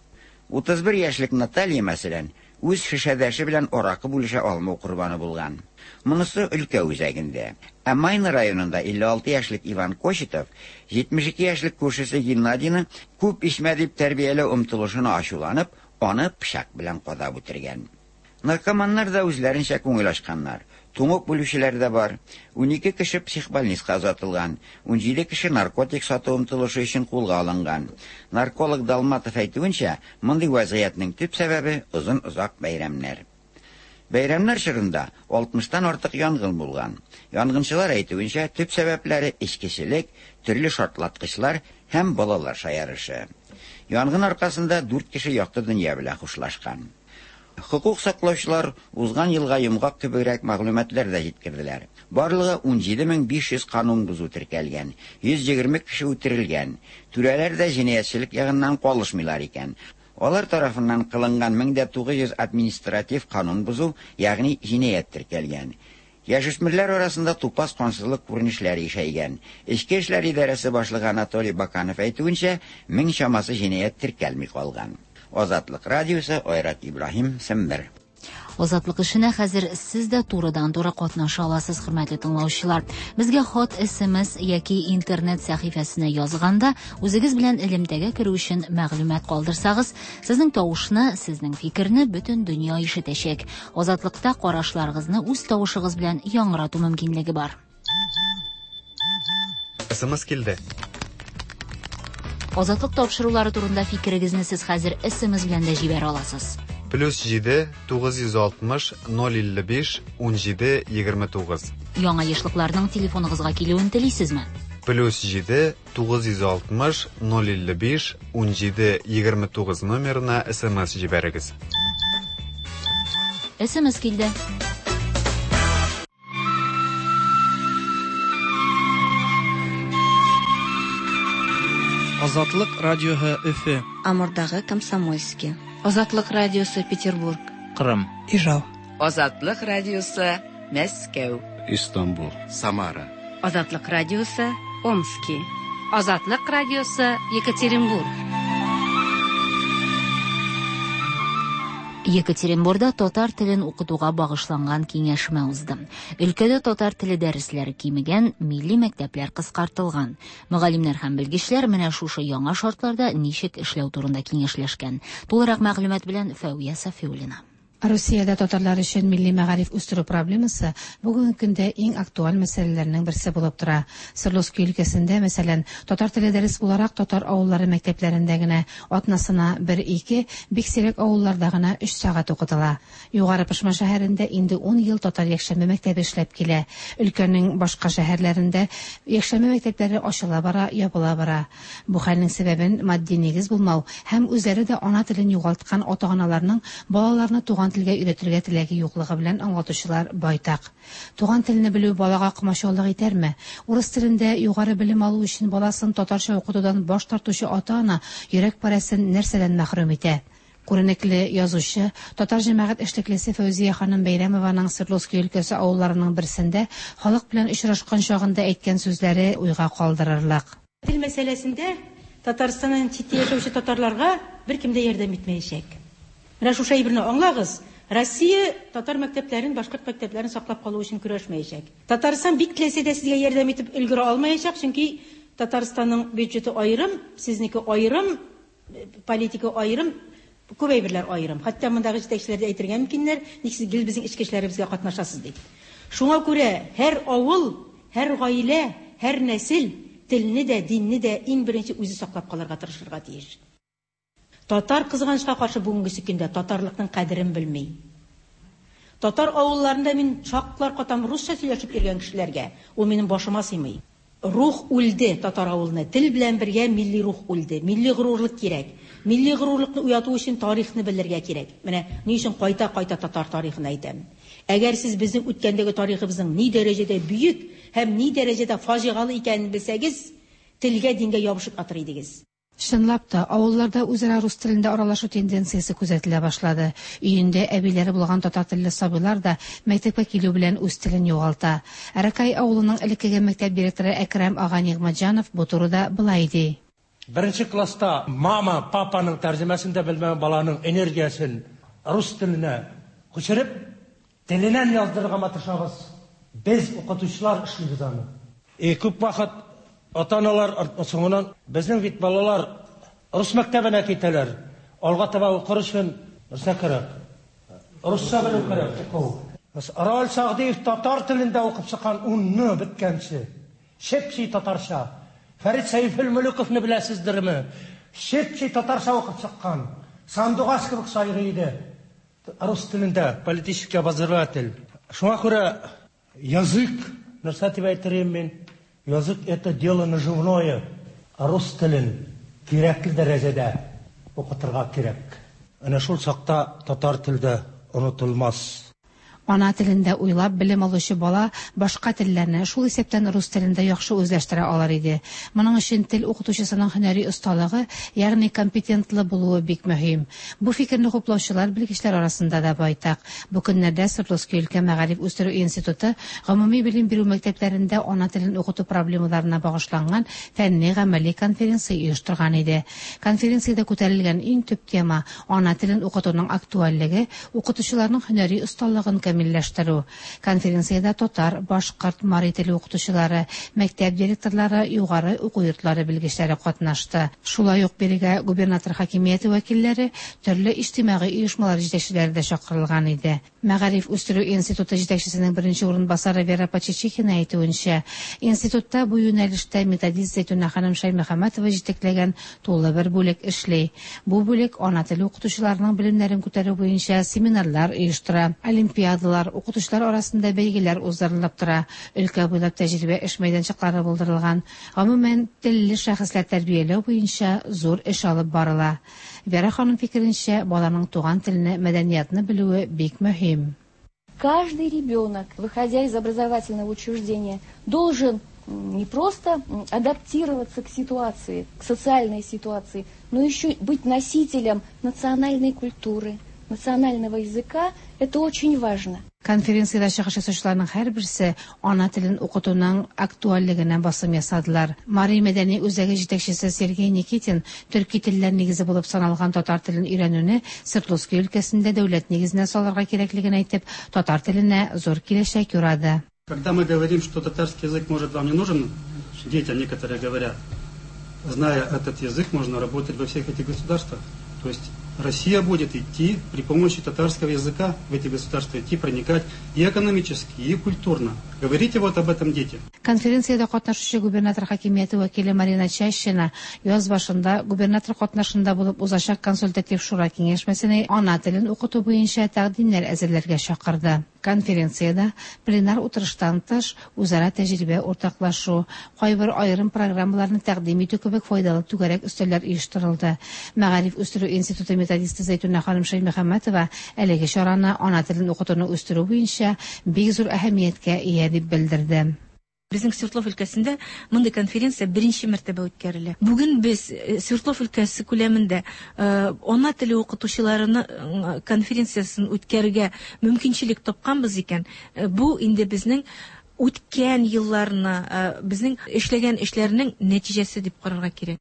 Утыз бер яшьлек Наталья, мәсәлән, үз шешәдәше белән аракы бүлешә алмау корбаны булган. Монысы өлкә үзәгендә. Ә Майна районында илле алты яшьлек Иван Кочетов җитмеш ике яшьлек күршесе Геннадийны күп эчмә дип тәрбияләү омтылышына ачуланып, аны пычак белән кадап үтергән. Наркоманнар да үзләренчә күңел ачканнар. Туңып үлүчеләр дә бар. Унике кеше психбольницага озатылган, ун җиде кеше наркотик сату омтылышы өчен кулга алынган. Нарколог Далматов әйтүенчә, мондый вазгыятьнең төп сәбәбе озын-озак бәйрәмнәр. Бәйрәмнәр чорында алтмыштан артык янгын булган. Янгынчылар әйтүенчә, төп сәбәпләре эчкечелек, төрле шартлаткычлар һәм балалар шаярышы. Янгын аркасында дүрт кеше якты дөнья белән хушлашкан. Хукук саклаучылар узган елга йомгак кебегрәк мәгълүматлар да җиткерделәр. Барлыгы ун җиде мең биш йөз канун бозу теркәлгән, йөз егерме кеше үтерелгән. Түрәләр дә җинаятьчелек ягыннан калышмыйлар икән. Алар тарафыннан кылынган мең дә тугыз йөз административ канун бозу, ягъни җинаять теркәлгән. Яшүсмерләр арасында тупас кансызлык күренешләре ишәйгән. Эчке эшләр идарәсе башлыгы Анатолий Баканов әйтүенчә, мең чамасы җинаять теркәлми калган. Азатлык радиосы, Айрат Ибраһим, Сембер. Азатлык эшенә хәзер сез дә турыдан-туры катнаша аласыз, хөрмәтле тыңлаучылар. Безгә хат, С М С яки интернет сәхифәсенә язганда үзегез белән элемтәгә керү өчен мәгълүмат калдырсагыз, сезнең тавышны, сезнең фикерне бөтен дөнья ишетәчәк. Азатлыкта карашларыгызны үз тавышыгыз белән яңгырату мөмкинлеге бар. С М С килде. Азатлык тапшырулары турында фикерегезне сез хәзер С М С белән дә җибәрә аласыз. Плюс җиде тугыз йөз алтмыш ноль илле биш унҗиде егерме тугыз. Яңа ешлыкларның телефоныгызга килүен телисезме? Плюс җиде тугыз йөз алтмыш ноль илле биш унҗиде егерме тугыз номерына С М С җибәрегез. С М С килде. Азатлык радиоһы, Өфө. Амурдагы Комсомольский. Азатлык радиосы, Петербург. Кырым. Ижау. Азатлык радиосы, Мәскәү. Истанбул. Самара. Азатлык радиосы, Омски. Азатлык радиосы, Екатеринбург. Екатеринбурда татар телен укытуга багышланган киңәшмә узды. Өлкәдә татар теле дәресләре кимегән, милли мәктәпләр кыскартылган. Мөгаллимнәр һәм белгечләр менә шушы яңа шартларда ничек эшләү турында киңәшләшкән. Тулырак мәгълүмат белән Фәүя Сафиуллина. Русиядә татарлар өчен милли мәгариф үстерү проблемасы бүгенге көндә иң актуаль мәсьәләләрнең берсе булып тора. Свердловский өлкәсендә, мәсәлән, татар теле дәрес буларак татар авыллары мәктәпләрендә генә атнасына бер-ике, бик сирәк авылларда гына өч сәгать укытыла. Югары Пышма шәһәрендә инде ун ел татар якшәмбе мәктәбе эшләп килә. Өлкәнең башка шәһәрләрендә якшәмбе мәктәпләре ачыла бара, ябыла бара. Бу хәлнең сәбәбен матди нигез булмау һәм үзләре дә ана телен югалткан ата-аналарның балаларны туган телгә өйрәтергә теләге юклыгы белән аңлатучылар байтак. Туган телне белү балага комачаулык итәрме? Урыс телендә югары белем алу өчен баласын татарча укытудан баш тартучы ата-ана йөрәк парәсен нәрсәдән мәхрүм итә? Күренекле язучы, татар җәмәгать эшлеклесе Фәүзия ханым Бәйрәмованың Свердловский өлкәсе авылларының берсендә халык белән очрашкан чагында әйткән сүзләре уйга калдырырлык. Тел мәсьәләсендә Татарстаннан читтә яшәүче татарларга беркем дә ярдәм итмәячәк. Менә шушы әйберне аңлагыз. Россия татар мәктәпләрен, башкорт мәктәпләрен саклап калу өчен көрәшмәячәк. Татарстан бик теләсә дә сезгә ярдәм итеп өлгерә алмаячак, чөнки Татарстанның бюджеты аерым, сезнеке аерым, политика аерым, күп әйберләр аерым. Хәтта мондагы җитәкчеләр дә әйтергә мөмкиннәр, ник сез гел безнең эчке эшләребезгә катнашасыз дип. Шуңа күрә һәр авыл, һәр гаилә, һәр нәсел телне дә, динне дә иң беренче үзе саклап калырга тырышырга тиеш. Татар, кызганычка каршы, бүгенге көндә татарлыкның кадерен белми. Татар авылларында мин шаклар катам русча сөйләшеп йөргән кешеләргә, ул минем башыма сыймый. Рух үлде татар авылында, тел белән бергә милли рух үлде. Милли горурлык кирәк. Милли горурлыкны уяту өчен тарихны белергә кирәк. Менә ни өчен кайта-кайта татар тарихын әйтәм. Әгәр сез безнең үткәндәге тарихыбызның ни дәрәҗәдә бөек һәм ни дәрәҗәдә фаҗигалы икәнен белсәгез, телгә, дингә ябышып атыр идегез. Чынлап та, авылларда үзара рус телендә аралашу тенденциясе күзәтелә башлады. Өендә әбиләре булган татар телле сабыйлар да мәктәпкә килү белән үз телен югалта. Аракай авылының элеккеге мәктәп директоры Әкрәм ага Нигъмәтҗанов бу турыда былай ди. Беренче класста мама, папаның тәрҗемәсен дә белмәгән баланың энергиясен рус теленә күчереп, теленнән яздырырга маташабыз. Без, укытучылар, эшлибез аны. И күп вакыт ата-аналар соңыннан: "Безнең бит балалар рус мәктәбенә китәләр. Алга таба укыр өчен нәрсә кирәк? Русча белү кирәк уку." Рал Сагдиев татар телендә укып чыккан унны беткәнче. Чеп-чи татарча. Фәрит Сәйфелмөлөковны беләсездерме? Чеп-чи татарча укып чыккан. Сандугач кебек сайрый иде. Рус телендә политический обозреватель. Шуңа күрә язык, нәрсә дип әйтер идем мин? Язык — это дело наживное. Рус телен кирәкле дәрәҗәдә укытырга кирәк. Әнә шул чакта татар теле дә онытылмас. Ана телендә уйлап белем алучы бала башка телләрне, шул исәптән рус телен дә яхшы үзләштерә алыр иде. Моның өчен тел укытучысының һөнәри осталыгы, ягъни компетентлы булуы бик мөһим. Бу фикерне хуплаучылар белгечләр арасында да байтак. Бу көннәрдә Свердловский өлкә мәгариф үстерү институты гомуми белем бирү мәктәпләрендә ана телен укыту проблемаларына багышланган фәнни-гамәли конференция оештырган иде. Конференциядә күтәрелгән иң төп тема ана телен укытуның актуальлеге, укытучыларның һөнәри осталыгын камилләштерү. Конференциядә татар, башкорт, мари теле укытучылары, мәктәп директорлары, югары уку йортлары белгечләре катнашты. Шулай ук бирегә губернатор хакимияте вәкилләре, төрле иҗтимагый оешмалар җитәкчеләре дә чакырылган иде. Мәгариф үстерү институты җитәкчесенең беренче урынбасары Вера Почечихина әйтүенчә, институтта бу юнәлештә методист Зәйтүнә ханым Шәймөхәммәтова җитәкләгән тулы бер бүлек эшли. Бу бүлек ана теле укытучыларының белемнәрен күтәрү буенча семинарлар оештыра, олимпиадалар, укытучылар арасында бәйгеләр уздырылып тора, өлкә буйлап тәҗрибә эш мәйданчыклары булдырылган. Гомумән, телле шәхесләр тәрбияләү буенча зур эш алып барыла. Вера ханым фикеренчә, баланың туган телене, мәдәниятны белүе бик мөһим. Каждый ребенок, выходя из образовательного учреждения, должен не просто адаптироваться к ситуации, к социальной ситуации, но еще быть носителем национальной культуры, национального языка. Это очень важно. Конференциядә чыгыш ясаучыларның һәрберсе ана телен укытуның актуальлегенә басым ясадылар. Мари мәдәни үзәге җитәкчесе Сергей Никитин төрки телләр нигезе булып саналган татар телен өйрәнүне Свердловский өлкәсендә дәүләт нигезенә салырга кирәклеген әйтеп, татар теленә зур киләчәк юрады. Когда мы говорим, что татарский язык может вам не нужен, детям некоторые говорят, зная этот язык, можно работать во всех этих государствах. То есть Россия будет идти при помощи татарского языка в эти государства, идти, проникать и экономически, и культурно. Говорите вот об этом детям. Конференциядә катнашучы губернатор хакимияте вәкиле Марина Чащина яз башында губернатор катнашында булып узачак консультатив шура киңәшмәсенә ана телен укыту буенча тәкъдимнәр әзерләргә чакырды. Конференциядә пленар утырыштан тыш үзара тәҗрибә уртаклашу, кайбер аерым программаларны тәкъдим итү кебек файдалы түгәрәк өстәлләр оештырылды. Мәгариф үстерү институты методисты Зәйтүнә ханым Шәймөхәммәтова әлеге чараны ана телен укытуны үстерү буенча бик зур әһәмияткә ия дип белдерде. Безнең Свердлов өлкәсендә мондый конференция беренче мәртәбә үткәрелә. Бүген без Свердлов өлкәсе күләмендә ана теле укытучыларының конференциясен үткәрергә мөмкинчелек тапканбыз икән, бу инде безнең үткән елларны, безнең эшләгән эшләрнең нәтиҗәсе дип карарга кирәк.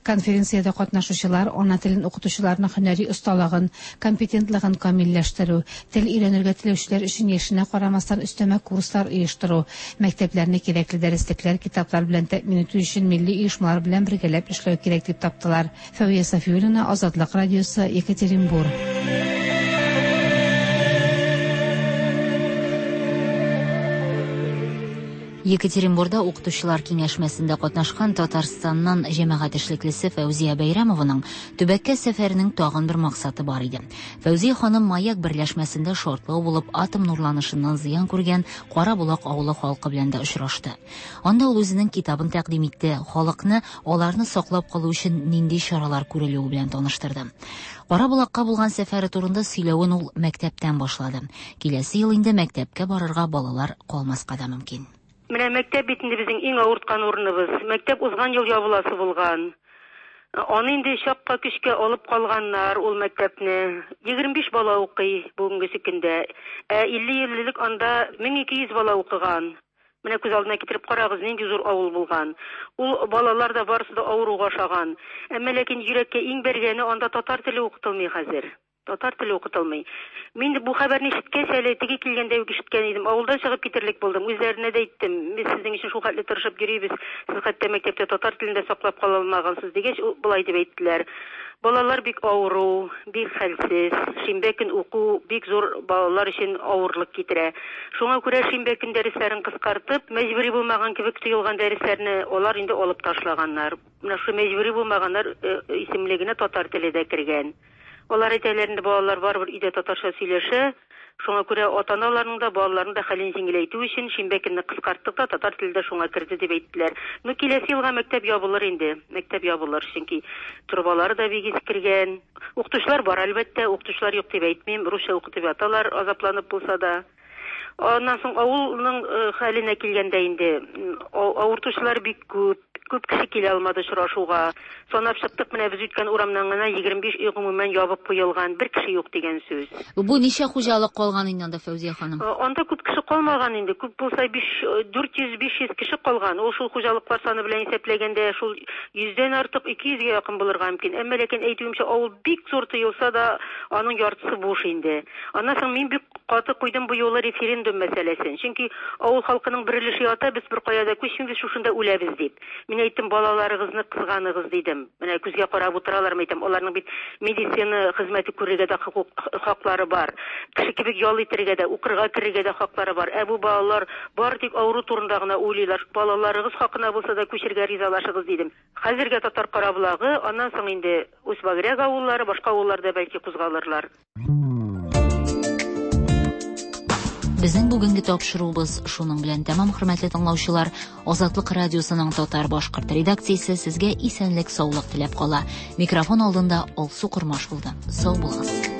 Конференциядә катнашучылар ана телен укытучыларның һөнәри осталыгын, компетентлыгын камилләштерү, тел өйрәнергә теләүчеләр өчен яшенә карамастан өстәмә курслар оештыру, мәктәпләрне кирәкле дәреслекләр, китаплар белән тәэмин итү өчен милли оешмалар белән бергәләп эшләү кирәк дип таптылар. Фәвия Сафиуллина, Азатлык радиосы, Екатеринбург. Екатеринбурда укытучылар киңәшмәсендә катнашкан Татарстаннан җәмәгать эшлеклесе Фәүзия Бәйрәмованың төбәккә сәфәренең тагын бер максаты бар иде. Фәүзия ханым Маяк берләшмәсендә шартлау булып атом нурланышыннан зыян күргән Карабулак авылы халкы белән дә очрашты. Анда ул үзенең китабын тәкъдим итте, халыкны аларны саклап калу өчен нинди чаралар күрелүе белән таныштырды. Карабулакка булган сәфәре турында сөйләвен ул мәктәптән башлады. Киләсе ел инде мәктәпкә барырга балалар калмаска да мөмкин. Менә мәктәп бит инде безнең иң авырткан урыныбыз. Мәктәп узган ел ябыласы булган. Аны инде чакка көчкә алып калганнар ул мәктәпне. егерме биш бала укый бүгенге көндә. Ә илле ел элек анда мең ике йөз бала укыган. Менә күз алдына китереп карагыз, нинди зур авыл булган. Ул балалар да барысы да авыруга ошаган. Әмма ләкин йөрәккә иң бәргәне анда татар теле укытылмый хәзер. Татар теле укытылмый. Мин бу хәбәрне ишеткәч, әле теге килгәндә үк ишеткән идем. Авылдан чыгып китерлек булдым. Үзләренә дә әйттем. Без сезнең өчен шул хәтле тырышып йөрибез. Сез хәтта мәктәптә татар телен дә саклап кала алмагансыз дигәч, болай дип әйттеләр. Балалар бик авыру, бик хәлсез. Шимбә көн уку бик зур балалар өчен авырлык китерә. Шуңа күрә шимбә көн дәресләрен кыскартып, мәҗбүри булмаган кебек тоелган дәресләрне алар инде алып ташлаганнар. Менә шу мәҗбүри булмаганнар исемлегенә татар теле дә кергән. Алар әйтәләр инде балалар барыбер өйдә татарча сөйләшә. Шуңа күрә ата-аналарның да балаларның да хәлен җиңеләйтү өчен шимбә көнне кыскарттык та татар теле дә шуңа керде дип әйттеләр. Ну киләсе елга мәктәп ябылыр инде. Мәктәп ябылыр, чөнки торбалары да бик искергән. Укытучылар бар әлбәттә, укытучылар юк дип әйтмим. Русча укытып яталар, азапланып булса да. Аннан соң авылның хәленә килгәндә инде авыртучылар бик күп, күп кеше килә алмады очрашуга. Санап чыктык, менә без үткән урамнан гына егерме биш өй гомумән ябып куелган, бер кеше юк дигән сүз. Бу ничә хуҗалык калган инде анда, Фәүзия ханым? Анда күп кеше калмаган инде. Күп булса дүрт йөз биш йөз кеше калган. Ул шул хуҗалыклар саны белән исәпләгәндә шул йөздән артык ике йөзгә якын булырга мөмкин. Әмма ләкин әйтүемчә, авыл бик зур тоелса да, аның яртысы буш инде. Аннан соң мин бик каты куйдым бу юлы референдум мәсьәләсен. Чөнки авыл халкының бер өлеше ята, без бер кая да күчмибез, шушында үләбез дип. Мин әйттем, балаларыгызны кызганыгыз дидем. Менә күзгә карап утыралар, әйтәм, аларның бит медицина хезмәте күрергә дә хаклары бар. Кеше кебек ял итәргә дә, укырга керергә дә хаклары бар. Ә бу балалар бар тик авыру турында гына уйлыйлар. Балаларыгыз хакына булса да күчергә ризалашыгыз дидем. Хәзергә Татар Караболагы, аннан соң инде Усть-Багряк авыллары, башка авылларда бәлки кузгалырлар. Безнең бүгенге тапшыруыбыз шуның белән тәмам, хөрмәтле тыңлаучылар. Азатлык радиосының татар-башкорт редакциясе сезгә исәнлек, саулык теләп кала. Микрофон алдында Алсу Кормаш булды. Сау булыгыз.